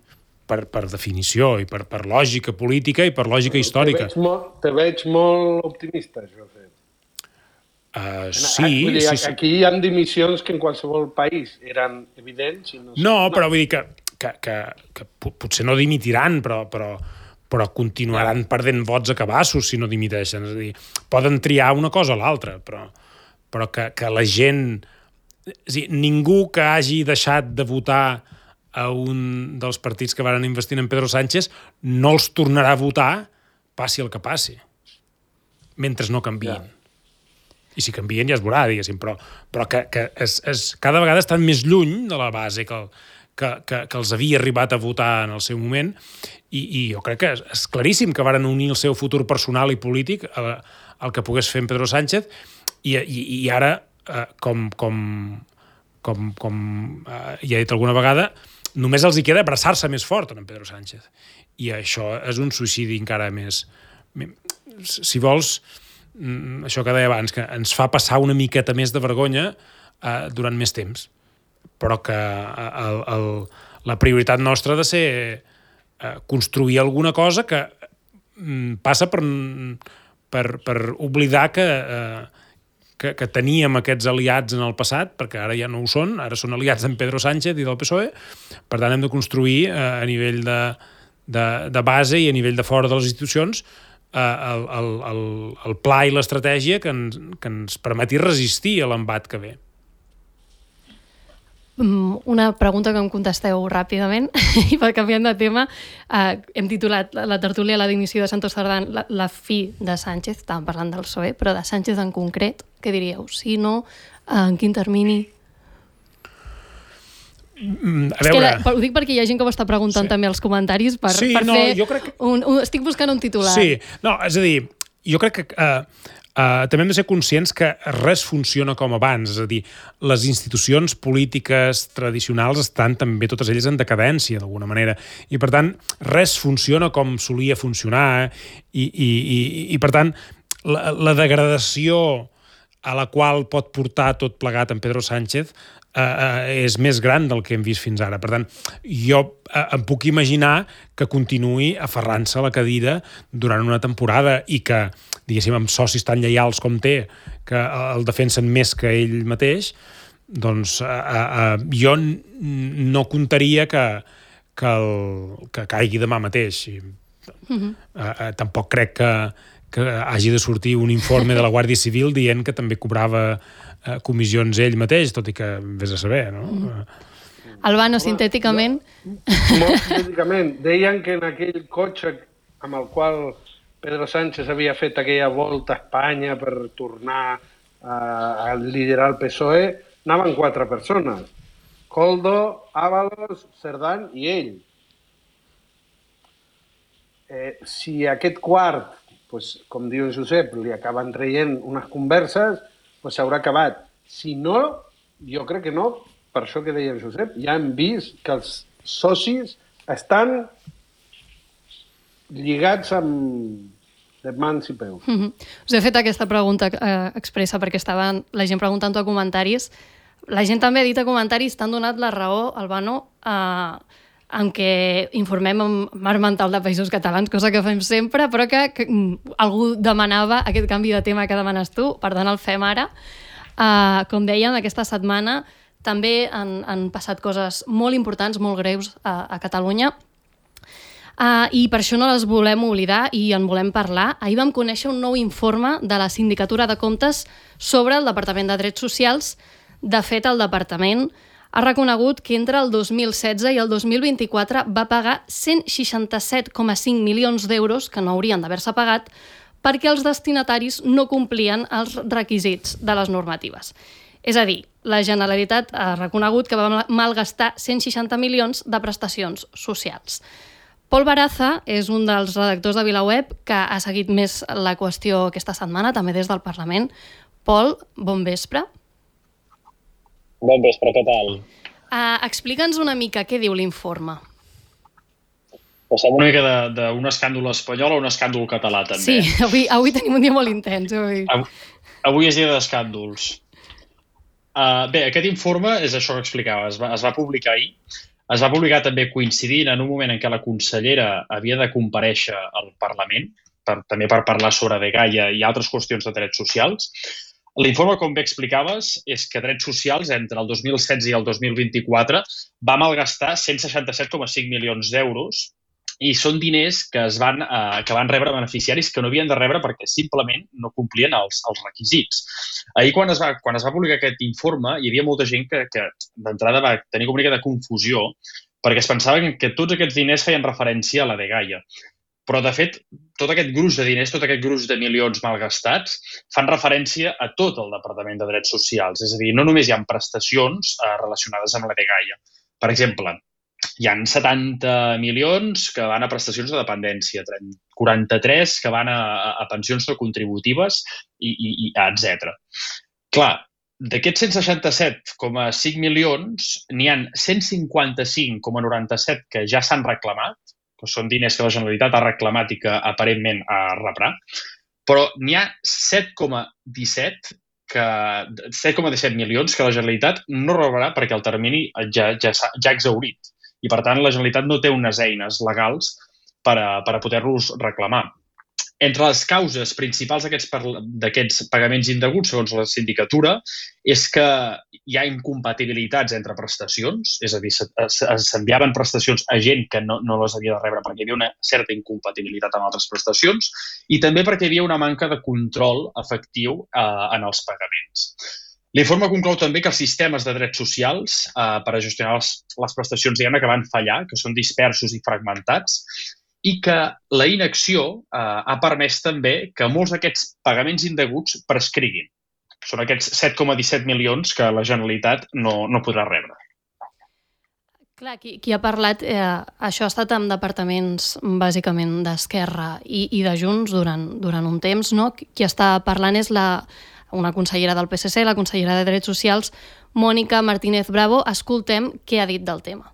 per, per definició i per, per lògica política i per lògica històrica. Te veig molt, te veig molt optimista, Josep. Uh, sí, vull dir, sí, sí. Aquí hi ha dimissions que en qualsevol país eren evidents. I no, no, però vull dir que, que, que, que potser no dimitiran, però, però, però continuaran perdent vots a cabassos si no dimiteixen. És a dir, poden triar una cosa o l'altra, però, però que, que la gent... És a dir, ningú que hagi deixat de votar a un dels partits que van investir en Pedro Sánchez no els tornarà a votar, passi el que passi, mentre no canvien. Ja. I si canvien ja es veurà, diguéssim, però, però que, que es, es, cada vegada estan més lluny de la base que, el, que, que, que els havia arribat a votar en el seu moment, i, i jo crec que és, és claríssim que varen unir el seu futur personal i polític al, al que pogués fer en Pedro Sánchez, i, i, i ara, eh, com, com, com, com eh, ja he dit alguna vegada, només els hi queda abraçar-se més fort en Pedro Sánchez. I això és un suïcidi encara més... Si vols... això que deia abans, que ens fa passar una miqueta més de vergonya eh, durant més temps, però que el, el, la prioritat nostra ha de ser eh, construir alguna cosa que mm, passa per, per, per oblidar que, eh, que, que teníem aquests aliats en el passat, perquè ara ja no ho són, ara són aliats d'en Pedro Sánchez i del P S O E, per tant hem de construir eh, a nivell de, de, de base i a nivell de fora de les institucions El, el, el, el pla i l'estratègia que ens, que ens permeti resistir a l'embat que ve. Una pregunta que em contesteu ràpidament i per canviant de tema, eh, hem titulat la tertúlia La dimissió de Santos Cerdán, la, la fi de Sánchez, estàvem parlant del P S O E, però de Sánchez en concret, què diríeu? Si no, en quin termini? Mm, a és veure... que la, ho dic perquè hi ha gent que ho està preguntant sí. també als comentaris per, sí, per no, fer jo crec que... un, un... Estic buscant un titular. Sí, no, és a dir, jo crec que uh, uh, també hem de ser conscients que res funciona com abans, és a dir, les institucions polítiques tradicionals estan també totes elles en decadència, d'alguna manera, i per tant, res funciona com solia funcionar, i, i, i, i per tant, la, la degradació a la qual pot portar tot plegat en Pedro Sánchez Uh, uh, és més gran del que hem vist fins ara. Per tant, jo uh, em puc imaginar que continuï aferrant-se a la cadira durant una temporada i que, diguéssim, amb socis tan lleials com té, que el defensen més que ell mateix, doncs uh, uh, jo no comptaria que, que, el, que caigui demà mateix. Mm-hmm. uh, uh, tampoc crec que, que hagi de sortir un informe de la Guàrdia Civil dient que també cobrava comissions ell mateix, tot i que vés a saber, no? Mm. Albano, sintèticament... Molt sintèticament. Deien que en aquell cotxe amb el qual Pedro Sánchez havia fet aquella volta a Espanya per tornar a, a liderar el P S O E, anaven quatre persones. Koldo, Ábalos, Cerdán i ell. Eh, si aquest quart, pues, com diu en Josep, li acaben traient unes converses, pues s'haurà acabat. Si no, jo crec que no, per això que deia el Josep, ja hem vist que els socis estan lligats amb de mans i peus. Mm-hmm. Us he fet aquesta pregunta eh, expressa perquè estava la gent preguntant a comentaris. La gent també ha dit a comentaris, t'han donat la raó, Albano, eh, en què informem amb Marc Mental de Països Catalans, cosa que fem sempre, però que, que algú demanava aquest canvi de tema que demanes tu, per tant el fem ara. Uh, com dèiem, aquesta setmana també han, han passat coses molt importants, molt greus a, a Catalunya. Uh, I per això no les volem oblidar i en volem parlar. Ahir vam conèixer un nou informe de la Sindicatura de Comptes sobre el Departament de Drets Socials. De fet, el Departament ha reconegut que entre el dos mil setze i el dos mil vint-i-quatre va pagar cent seixanta-set coma cinc milions d'euros, que no haurien d'haver-se pagat, perquè els destinataris no complien els requisits de les normatives. És a dir, la Generalitat ha reconegut que va malgastar cent seixanta milions de prestacions socials. Pol Baraza és un dels redactors de VilaWeb que ha seguit més la qüestió aquesta setmana, també des del Parlament. Pol, bon vespre. Bon vespre, què tal? Uh, Explica'ns una mica què diu l'informe. Passem una mica d'un escàndol espanyol a un escàndol català, també. Sí, avui, avui tenim un dia molt intens. Avui, avui és dia d'escàndols. Uh, bé, aquest informe és això que explicava, es va, es va publicar ahir. Es va publicar també coincidint en un moment en què la consellera havia de comparèixer al Parlament, per, també per parlar sobre Dgaia i altres qüestions de drets socials. L'informe, com bé explicaves, és que Drets Socials entre el dos mil setze i el dos mil vint-i-quatre va malgastar cent seixanta-set coma cinc milions d'euros i són diners que, es van, eh, que van rebre beneficiaris que no havien de rebre perquè simplement no complien els, els requisits. Ahir, quan es, va, quan es va publicar aquest informe, hi havia molta gent que, que d'entrada va tenir una mica de confusió perquè es pensava que tots aquests diners feien referència a la Dgaia. Però, de fet, tot aquest gruix de diners, tot aquest gruix de milions malgastats, fan referència a tot el Departament de Drets Socials. És a dir, no només hi ha prestacions eh, relacionades amb la Dgaia. Per exemple, hi ha setanta milions que van a prestacions de dependència, quaranta-tres que van a, a pensions no contributives, i, i, i etcètera. Clar, d'aquests cent seixanta-set coma cinc milions, n'hi ha cent cinquanta-cinc coma noranta-set que ja s'han reclamat, que són diners que la Generalitat ha reclamat i que aparentment ha rebrà, però n'hi ha set coma disset que set coma disset milions que la Generalitat no rebrà perquè el termini ja, ja, ja ha exhaurit. I, per tant, la Generalitat no té unes eines legals per a, per a poder-los reclamar. Entre les causes principals d'aquests pagaments indeguts, segons la sindicatura, és que hi ha incompatibilitats entre prestacions, és a dir, s'enviaven prestacions a gent que no, no les havia de rebre perquè hi havia una certa incompatibilitat amb altres prestacions i també perquè hi havia una manca de control efectiu eh, en els pagaments. L'informe conclou també que els sistemes de drets socials eh, per a gestionar les, les prestacions diguem-ne que van fallar, que són dispersos i fragmentats, i que la inacció eh, ha permès també que molts d'aquests pagaments indeguts prescriguin. Són aquests set coma disset milions que la Generalitat no, no podrà rebre. Clar, qui, qui ha parlat, eh, això ha estat amb departaments bàsicament d'Esquerra i, i de Junts durant, durant un temps, no? Qui està parlant és la, una consellera del P S C, la consellera de Drets Socials, Mònica Martínez Bravo. Escoltem què ha dit del tema.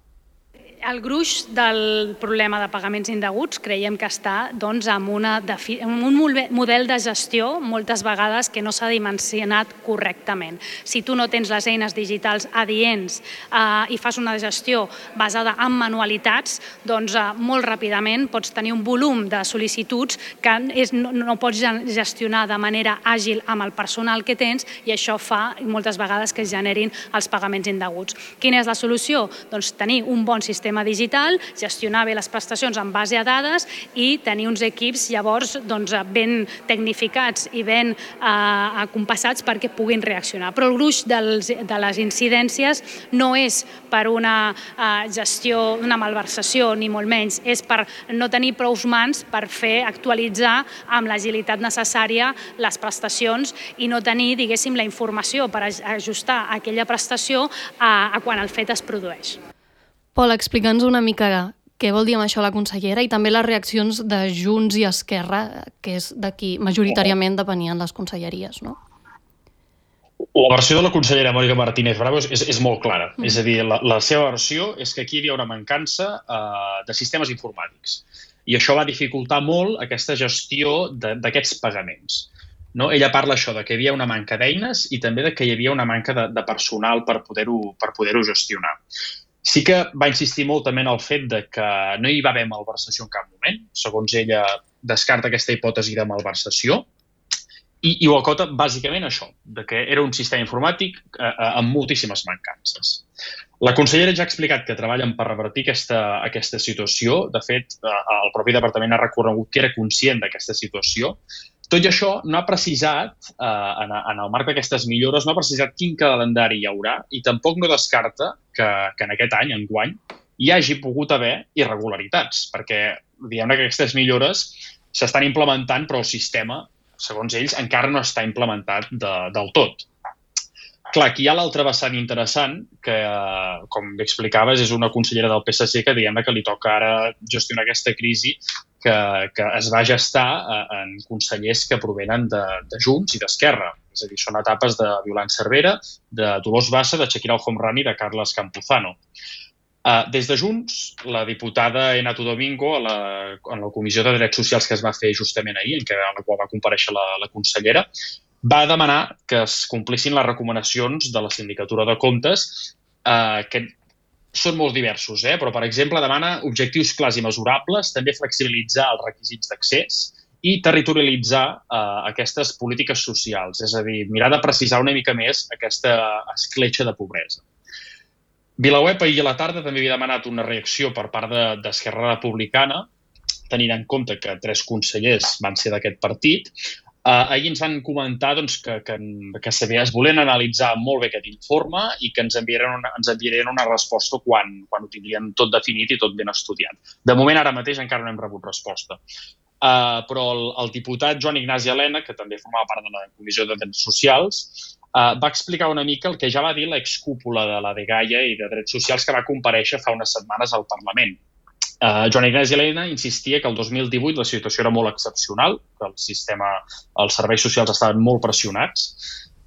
El gruix del problema de pagaments indeguts creiem que està doncs, amb, una defi- amb un model de gestió moltes vegades que no s'ha dimensionat correctament. Si tu no tens les eines digitals adients eh, i fas una gestió basada en manualitats, doncs eh, molt ràpidament pots tenir un volum de sol·licituds que és, no, no pots gestionar de manera àgil amb el personal que tens i això fa moltes vegades que es generin els pagaments indeguts. Quina és la solució? Doncs tenir un bon sistema digital, gestionar bé les prestacions en base a dades i tenir uns equips llavors doncs, ben tecnificats i ben eh, compassats perquè puguin reaccionar. Però el gruix dels, de les incidències no és per una eh, gestió, una malversació, ni molt menys, és per no tenir prou mans per fer actualitzar amb l'agilitat necessària les prestacions i no tenir, diguéssim, la informació per ajustar aquella prestació a, a quan el fet es produeix. Pol, explica'ns una mica què vol dir amb això la consellera i també les reaccions de Junts i Esquerra, que és de qui majoritàriament depenien les conselleries, no? La versió de la consellera Mònica Martínez Bravo és, és molt clara. Mm. És a dir, la, la seva versió és que aquí hi havia una mancança eh, de sistemes informàtics i això va dificultar molt aquesta gestió d'aquests pagaments. No? Ella parla això de que hi havia una manca d'eines i també de que hi havia una manca de, de personal per poder-ho per poder-ho gestionar. Sí que va insistir molt també en el fet de que no hi va haver malversació en cap moment. Segons ella, descarta aquesta hipòtesi de malversació i, i ho acota bàsicament això, de que era un sistema informàtic eh, amb moltíssimes mancances. La consellera ja ha explicat que treballen per revertir aquesta, aquesta situació. De fet, el propi departament ha reconegut que era conscient d'aquesta situació. Tot i això, no ha precisat, eh, en, en el marc d'aquestes millores, no ha precisat quin calendari hi haurà i tampoc no descarta que, que en aquest any, enguany, hi hagi pogut haver irregularitats, perquè diguem-ne que aquestes millores s'estan implementant, però el sistema, segons ells, encara no està implementat de, del tot. Clar, aquí hi ha l'altre vessant interessant, que, com bé explicaves, és una consellera del P S C que diguem que li toca ara gestionar aquesta crisi que, que es va gestar en consellers que provenen de, de Junts i d'Esquerra. És a dir, són etapes de Violant Cervera, de Dolors Bassa, de Shakira El Homrani i de Carles Campuzano. Uh, des de Junts, la diputada Enato Domingo, a la, en la Comissió de Drets Socials que es va fer justament ahir, en què, en la qual va comparèixer la, la consellera, va demanar que es complissin les recomanacions de la Sindicatura de Comptes, eh, que són molt diversos, eh? Però, per exemple, demana objectius clars i mesurables, també flexibilitzar els requisits d'accés i territorialitzar eh, aquestes polítiques socials, és a dir, mirar de precisar una mica més aquesta escletxa de pobresa. VilaWeb ahir a la tarda també havia demanat una reacció per part d'Esquerra Republicana, tenint en compte que tres consellers van ser d'aquest partit. Uh, ahir ens van comentar doncs, que, que, que es volien analitzar molt bé aquest informe i que ens enviarien una, ens enviarien una resposta quan, quan ho tindrien tot definit i tot ben estudiat. De moment, ara mateix, encara no hem rebut resposta. Uh, però el, el diputat Joan Ignasi Elena, que també formava part de la Comissió de Drets Socials, uh, va explicar una mica el que ja va dir l'excúpula de la dgaia i de Drets Socials que va comparèixer fa unes setmanes al Parlament. Uh, Joan Ignasi Elena insistia que el dos mil divuit la situació era molt excepcional, que el sistema, els serveis socials estaven molt pressionats,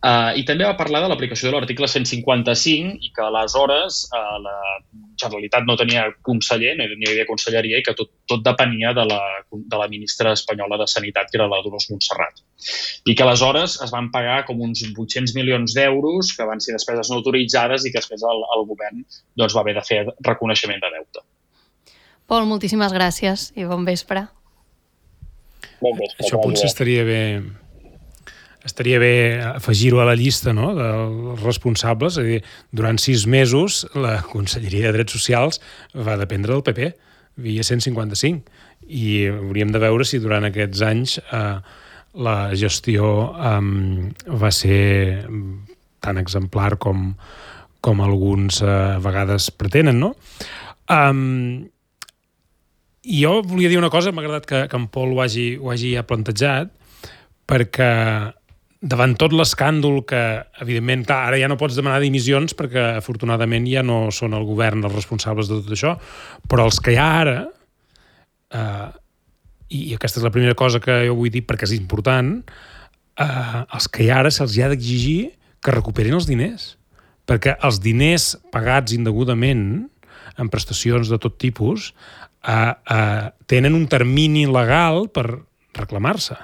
uh, i també va parlar de l'aplicació de l'article cent cinquanta-cinc i que aleshores uh, la Generalitat no tenia conseller, no hi havia conselleria i que tot, tot depenia de la, de la ministra espanyola de Sanitat, que era la Dolors Montserrat. I que aleshores es van pagar com uns vuit-cents milions d'euros que van ser despeses no autoritzades i que després el, el govern doncs, va haver de fer reconeixement de deute. Pol, moltíssimes gràcies i bon vespre. Bon vespre. Això potser estaria bé, estaria bé afegir-ho a la llista, no?, dels responsables. És a dir, durant sis mesos la Conselleria de Drets Socials va dependre del P P, via cent cinquanta-cinc, i hauríem de veure si durant aquests anys eh, la gestió eh, va ser tan exemplar com, com alguns eh, a vegades pretenen, no? Um, I jo volia dir una cosa, m'ha agradat que, que en Pol ho hagi, ho hagi ja plantejat, perquè davant tot l'escàndol que, evidentment, clar, ara ja no pots demanar dimissions perquè, afortunadament, ja no són el govern els responsables de tot això, però els que hi ha ara, eh, i aquesta és la primera cosa que jo vull dir perquè és important, eh, els que hi ha ara se'ls ha d'exigir que recuperin els diners, perquè els diners pagats indegudament en prestacions de tot tipus Uh, uh, tenen un termini legal per reclamar-se.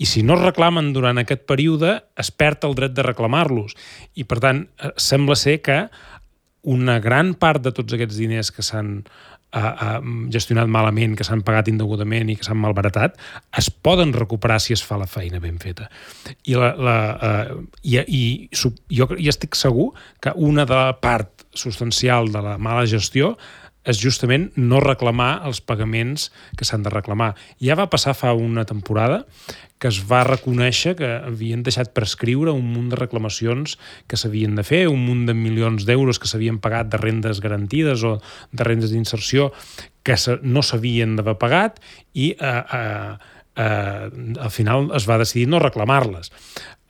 I si no es reclamen durant aquest període, es perd el dret de reclamar-los. I, per tant, uh, sembla ser que una gran part de tots aquests diners que s'han uh, uh, gestionat malament, que s'han pagat indegudament i que s'han malbaratat, es poden recuperar si es fa la feina ben feta. I, la, la, uh, i, i jo, jo estic segur que una de la part substancial de la mala gestió és justament no reclamar els pagaments que s'han de reclamar. Ja va passar fa una temporada que es va reconèixer que havien deixat prescriure un munt de reclamacions que s'havien de fer, un munt de milions d'euros que s'havien pagat de rendes garantides o de rendes d'inserció que no s'havien d'haver pagat i eh, eh, eh, al final es va decidir no reclamar-les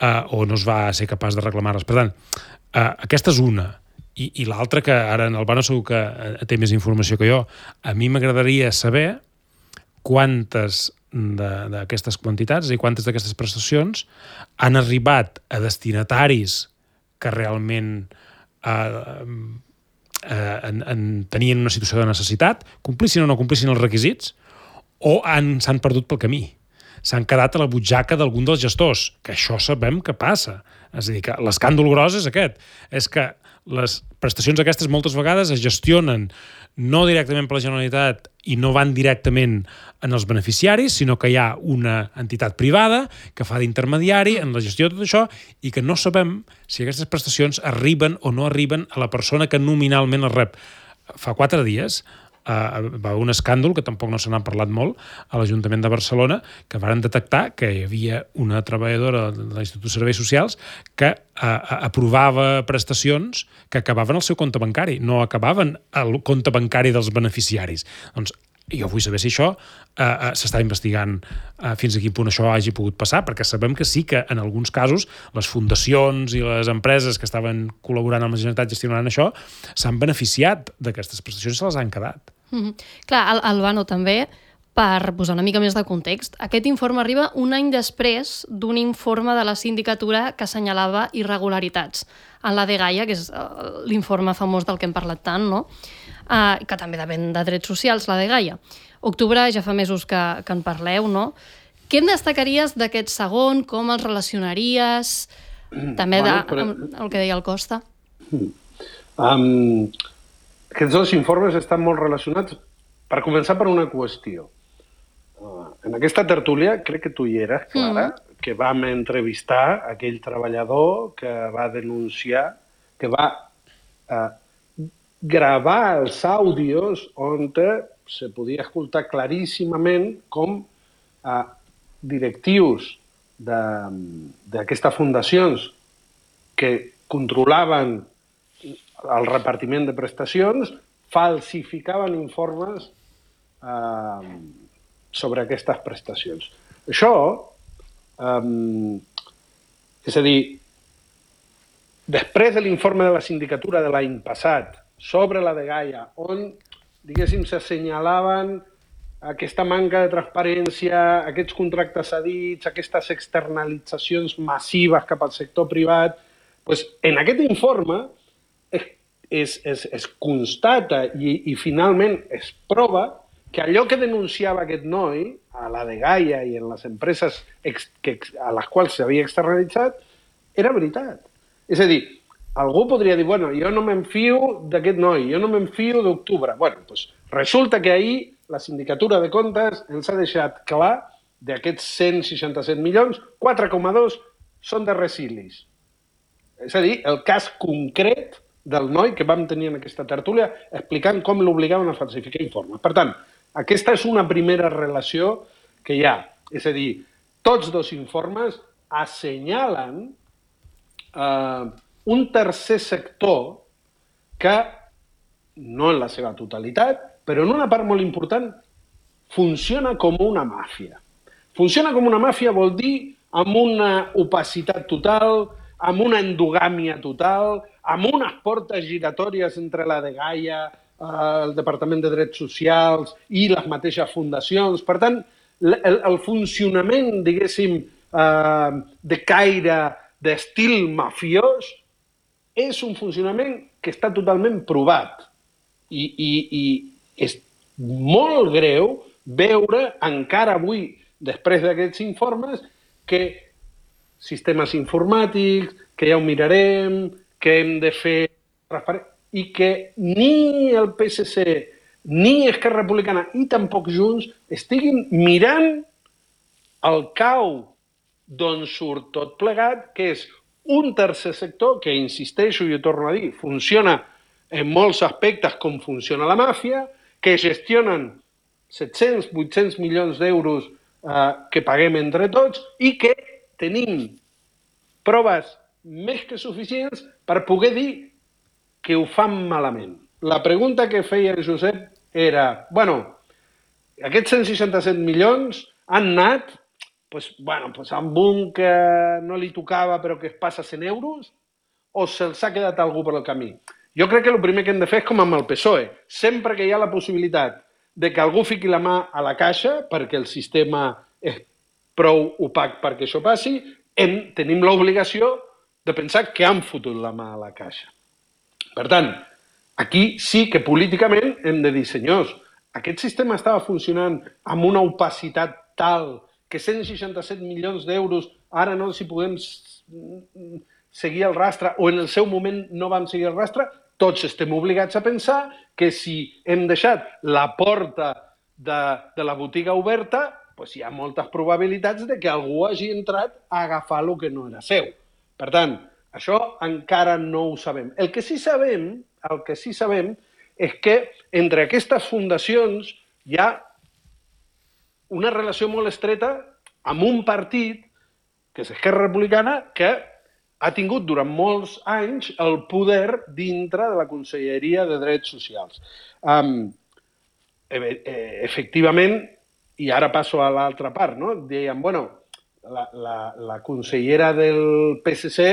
eh, o no es va ser capaç de reclamar-les. Per tant, eh, aquesta és una. I, i l'altra, que ara en Albano segur que té més informació que jo, a mi m'agradaria saber quantes d'aquestes quantitats i quantes d'aquestes prestacions han arribat a destinataris que realment eh, eh, en, en tenien una situació de necessitat, complissin o no complissin els requisits, o s'han perdut pel camí. S'han quedat a la butxaca d'algun dels gestors, que això sabem que passa. És a dir, que l'escàndol gros és aquest. És que les prestacions aquestes moltes vegades es gestionen no directament per la Generalitat i no van directament en els beneficiaris, sinó que hi ha una entitat privada que fa d'intermediari en la gestió de tot això i que no sabem si aquestes prestacions arriben o no arriben a la persona que nominalment les rep. Fa quatre dies Uh, va haver un escàndol, que tampoc no se n'ha parlat molt, a l'Ajuntament de Barcelona, que varen detectar que hi havia una treballadora de l'Institut de Serveis Socials que uh, aprovava prestacions que acabaven al seu compte bancari, no acabaven al compte bancari dels beneficiaris. Doncs jo vull saber si això uh, uh, s'està investigant uh, fins a quin punt això hagi pogut passar, perquè sabem que sí que en alguns casos les fundacions i les empreses que estaven col·laborant amb la Generalitat gestionant això s'han beneficiat d'aquestes prestacions i se les han quedat. Mm-hmm. Clar, Al Albano, també, per posar una mica més de context, aquest informe arriba un any després d'un informe de la sindicatura que assenyalava irregularitats en la dgaia, que és l'informe famós del que hem parlat tant, no? Uh, que també depèn de drets socials, la dgaia. Octubre ja fa mesos que, que en parleu, no? Què en destacaries d'aquest segon? Com els relacionaries? També bueno, de, però... el que deia el Costa. Um, aquests dos informes estan molt relacionats, per començar, per una qüestió. Uh, en aquesta tertúlia, crec que tu hi eres, Clara, mm. que vam entrevistar aquell treballador que va denunciar, que va uh, gravar els àudios on se podia escoltar claríssimament com uh, directius d'aquestes fundacions que controlaven el repartiment de prestacions falsificaven informes eh, sobre aquestes prestacions. Això, eh, és a dir, després de l'informe de la sindicatura de l'any passat sobre la dgaia, on, diguéssim, s'assenyalaven aquesta manca de transparència, aquests contractes cedits, aquestes externalitzacions massives cap al sector privat, doncs en aquest informe es, es, es, es constata i, i finalment es prova que allò que denunciava aquest noi a la dgaia i en les empreses ex, que, a les quals s'havia externalitzat era veritat. És a dir, algú podria dir, bueno, jo no me'n fio d'aquest noi, jo no me'n fio d'Octubre. Bueno, doncs resulta que ahir la Sindicatura de Comptes ens ha deixat clar d'aquests cent seixanta-set milions, quatre coma dos són de Resilis. És a dir, el cas concret del noi que vam tenir en aquesta tertúlia explicant com l'obligaven a falsificar informes. Per tant, aquesta és una primera relació que hi ha. És a dir, tots dos informes assenyalen eh, un tercer sector que, no en la seva totalitat, però en una part molt important, funciona com una màfia. Funciona com una màfia vol dir amb una opacitat total, amb una endogàmia total, amb unes portes giratòries entre la dgaia, el Departament de Drets Socials i les mateixes fundacions. Per tant, el, el funcionament, diguéssim, eh, de caire, d'estil mafiós, és un funcionament que està totalment provat. I, i, i és molt greu veure encara avui, després d'aquests informes, que sistemes informàtics, que ja ho mirarem, que hem de fer... i que ni el P S C, ni Esquerra Republicana, i tampoc Junts, estiguin mirant el cau d'on surt tot plegat, que és un tercer sector que, insisteixo i ho torno a dir, funciona en molts aspectes com funciona la màfia, que gestionen set-cents, vuit-cents milions d'euros eh, que paguem entre tots i que tenim proves més que suficients per poder dir que ho fan malament. La pregunta que feia el Josep era, bueno, aquests cent seixanta-set milions han anat pues, bueno, pues amb un que no li tocava però que es passa cent euros o se'ls ha quedat algú per el camí? Jo crec que el primer que hem de fer és com amb el P S O E. Sempre que hi ha la possibilitat de que algú fiqui la mà a la caixa perquè el sistema és prou opac perquè això passi, hem, tenim l'obligació de pensar que han fotut la mà a la caixa. Per tant, aquí sí que políticament hem de dir, senyors, aquest sistema estava funcionant amb una opacitat tal que cent seixanta-set milions d'euros ara no els hi podem seguir el rastre o en el seu moment no vam seguir el rastre, tots estem obligats a pensar que si hem deixat la porta de, de la botiga oberta, doncs hi ha moltes probabilitats de que algú hagi entrat a agafar el que no era seu. Per tant, això encara no ho sabem. El que sí sabem, el que sí sabem és que entre aquestes fundacions hi ha una relació molt estreta amb un partit, que és Esquerra Republicana, que ha tingut durant molts anys el poder dintre de la Conselleria de Drets Socials. Um, efectivament, i ara passo a l'altra part, no? Deien, bueno, la, la, la consellera del P S C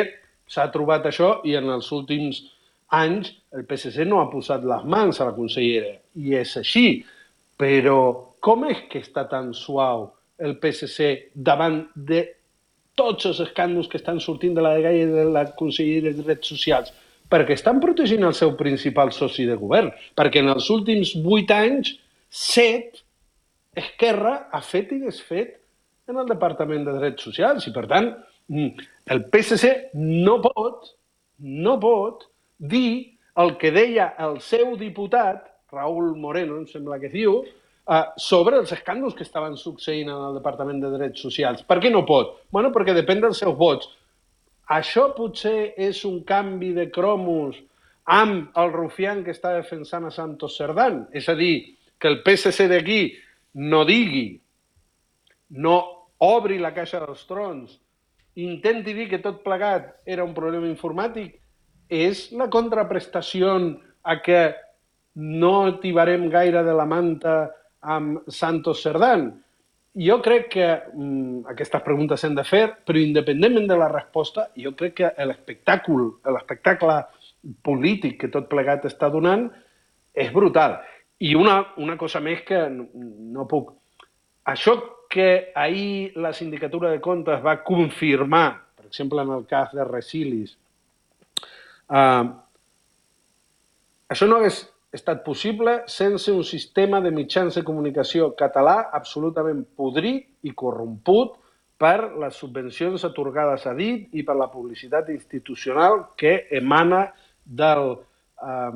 s'ha trobat això i en els últims anys el P S C no ha posat les mans a la consellera. I és així. Però com és que està tan suau el P S C davant de tots els escàndols que estan sortint de la dgaia de la Conselleria de Drets Socials? Perquè estan protegint el seu principal soci de govern. Perquè en els últims vuit anys, set, Esquerra ha fet i desfet en el Departament de Drets Socials. I, per tant, el P S C no pot, no pot dir el que deia el seu diputat, Raúl Moreno, em sembla que es diu, sobre els escàndols que estaven succeint en el Departament de Drets Socials. Per què no pot? Bueno, perquè depèn dels seus vots. Això potser és un canvi de cromos amb el rufián que està defensant a Santos Cerdán. És a dir, que el P S C d'aquí no digui, no obri la caixa dels trons, intenti dir que tot plegat era un problema informàtic, és la contraprestació a que no tibarem gaire de la manta amb Santos Cerdán. Jo crec que mm, aquestes preguntes s'han de fer, però independentment de la resposta, jo crec que l'espectacle, l'espectacle polític que tot plegat està donant és brutal. I una, una cosa més que no, no puc... Això que ahir la Sindicatura de Comptes va confirmar, per exemple, en el cas de Resilis, eh, això no hagués estat possible sense un sistema de mitjans de comunicació català absolutament podrit i corromput per les subvencions atorgades a dit i per la publicitat institucional que emana del eh,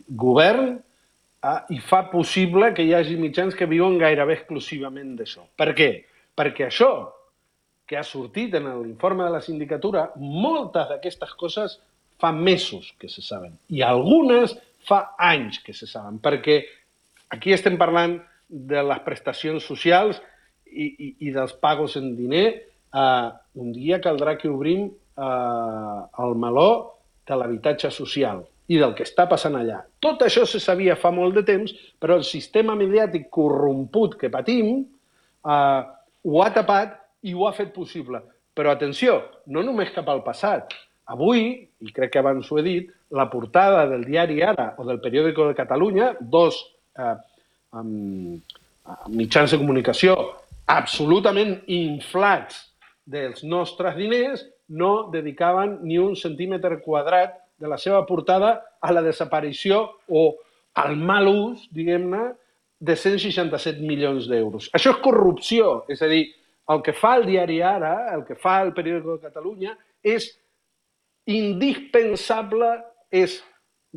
govern eh, i fa possible que hi hagi mitjans que viuen gairebé exclusivament d'això. Per què? Perquè això que ha sortit en l'informe de la sindicatura, moltes d'aquestes coses fa mesos que se saben i algunes fa anys que se saben, perquè aquí estem parlant de les prestacions socials i, i, i dels pagos en diner. Uh, un dia caldrà que obrim uh, el meló de l'habitatge social i del que està passant allà. Tot això se sabia fa molt de temps, però el sistema mediàtic corromput que patim uh, ho ha tapat i ho ha fet possible. Però atenció, no només cap al passat. Avui, i crec que abans ho he dit, la portada del diari Ara o del Periódico de Catalunya, dos eh, um, mitjans de comunicació absolutament inflats dels nostres diners, no dedicaven ni un centímetre quadrat de la seva portada a la desaparició o al mal ús, diguem-ne, de cent seixanta-set milions d'euros. Això és corrupció, és a dir, el que fa el diari Ara, el que fa el Periódico de Catalunya, és indispensable, és,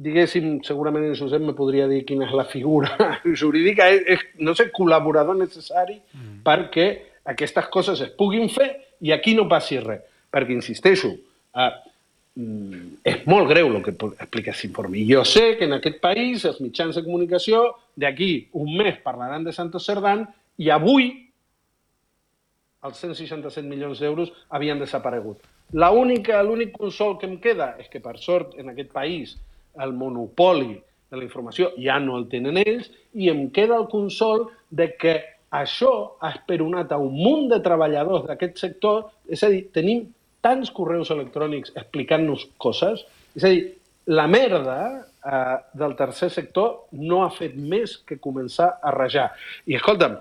diguéssim, segurament en Josep me podria dir quina és la figura jurídica, és, és no sé, col·laborador necessari mm. perquè aquestes coses es puguin fer i aquí no passi res. Perquè, insisteixo, eh, és molt greu el que explica aquest informe. I jo sé que en aquest país els mitjans de comunicació d'aquí un mes parlaran de Santos Cerdán i avui els cent seixanta-set milions d'euros havien desaparegut. L'únic consol que em queda és que, per sort, en aquest país el monopoli de la informació ja no el tenen ells i em queda el consol de que això ha esperonat a un munt de treballadors d'aquest sector, és a dir, tenim tants correus electrònics explicant-nos coses, és a dir, la merda eh, del tercer sector no ha fet més que començar a rajar. I, escolta'm,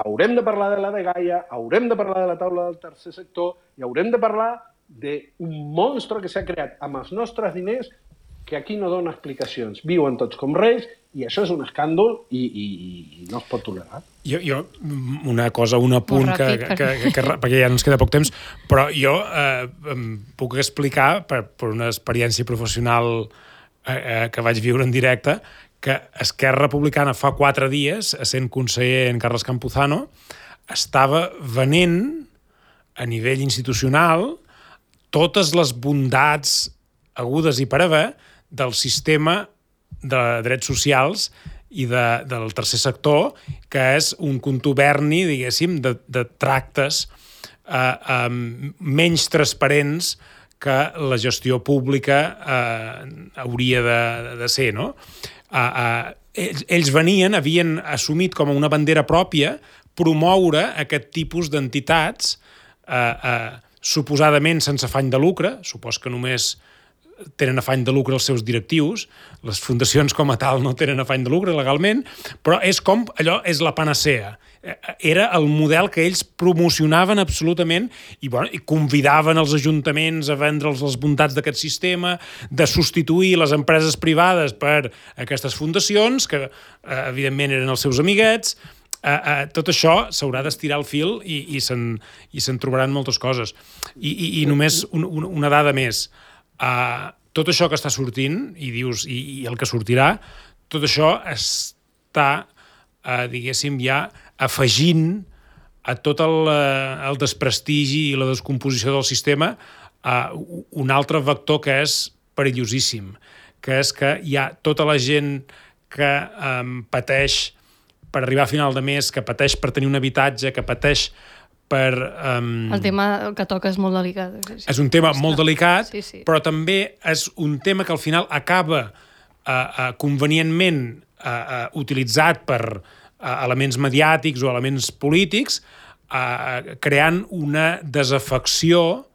haurem de parlar de la dgaia, haurem de parlar de la taula del tercer sector i haurem de parlar d'un monstre que s'ha creat amb els nostres diners que aquí no dona explicacions. Viuen tots com reis i això és un escàndol i, i, i no es pot tolerar. Jo, jo una cosa, un apunt, ràpid, que, que, que, que, perquè ja no ens queda poc temps, però jo eh, em puc explicar per, per una experiència professional eh, eh, que vaig viure en directe que Esquerra Republicana fa quatre dies, essent conseller en Carles Campuzano, estava venent a nivell institucional totes les bondats agudes i per haver del sistema de drets socials i de, del tercer sector, que és un contuberni, diguéssim, de, de tractes eh, eh, menys transparents que la gestió pública eh, hauria de, de ser, no? Eh, eh, ells, ells venien, havien assumit com a una bandera pròpia promoure aquest tipus d'entitats eh, eh, suposadament sense afany de lucre, supos que només tenen afany de lucre els seus directius, les fundacions com a tal no tenen afany de lucre legalment, però és com, allò és la panacea. Era el model que ells promocionaven absolutament i, bueno, i convidaven els ajuntaments a vendre'ls les bondats d'aquest sistema, de substituir les empreses privades per aquestes fundacions, que eh, evidentment eren els seus amiguets. Uh, uh, tot això s'haurà d'estirar el fil i, i se'n i se'n trobaran moltes coses. I, i, i només un, un, una dada més. Uh, tot això que està sortint, i dius, i, i el que sortirà, tot això està, uh, diguéssim, ja afegint a tot el, uh, el desprestigi i la descomposició del sistema uh, un altre vector que és perillosíssim, que és que hi ha tota la gent que um, pateix per arribar a final de mes, que pateix per tenir un habitatge, que pateix per... Um... El tema que toca és molt delicat. Sí, sí. És un tema molt delicat, sí, sí. Però també és un tema que al final acaba uh, uh, convenientment uh, uh, utilitzat per uh, elements mediàtics o elements polítics, uh, creant una desafecció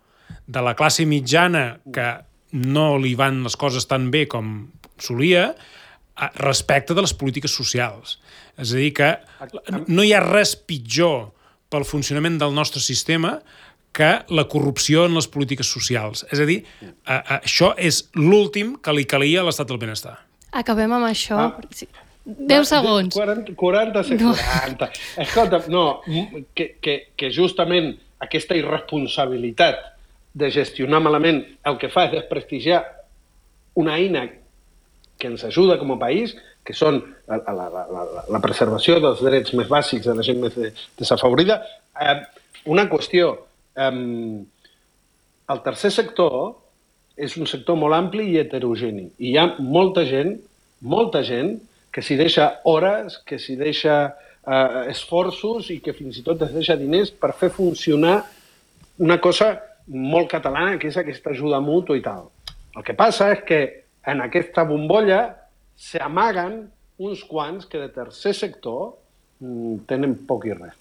de la classe mitjana que no li van les coses tan bé com solia, respecte de les polítiques socials. És a dir, que no hi ha res pitjor pel funcionament del nostre sistema que la corrupció en les polítiques socials. És a dir, això és l'últim que li calia a l'estat del benestar. Acabem amb això. Ah. Sí. deu segons. quaranta, quaranta, quaranta. No. Escolta, no, que, que, que justament aquesta irresponsabilitat de gestionar malament el que fa és desprestigiar una eina que ens ajuda com a país, que són la, la, la, la preservació dels drets més bàsics de la gent més desafavorida. Eh, una qüestió, eh, el tercer sector és un sector molt ampli i heterogeni. I hi ha molta gent, molta gent, que s'hi deixa hores, que s'hi deixa eh, esforços i que fins i tot es deixa diners per fer funcionar una cosa molt catalana, que és aquesta ajuda mútua i tal. El que passa és que en aquesta bombolla s'amaguen uns quants que de tercer sector mm, tenen poc i res.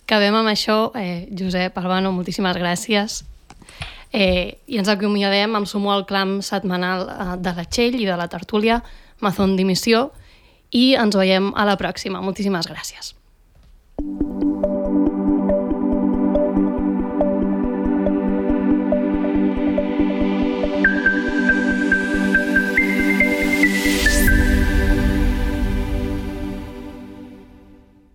Acabem amb això. Eh, Josep Albano, moltíssimes gràcies. Eh, I ens acomiadem, em sumo al clam setmanal eh, de la Txell i de la tertúlia Mazón Dimissió i ens veiem a la pròxima. Moltíssimes gràcies.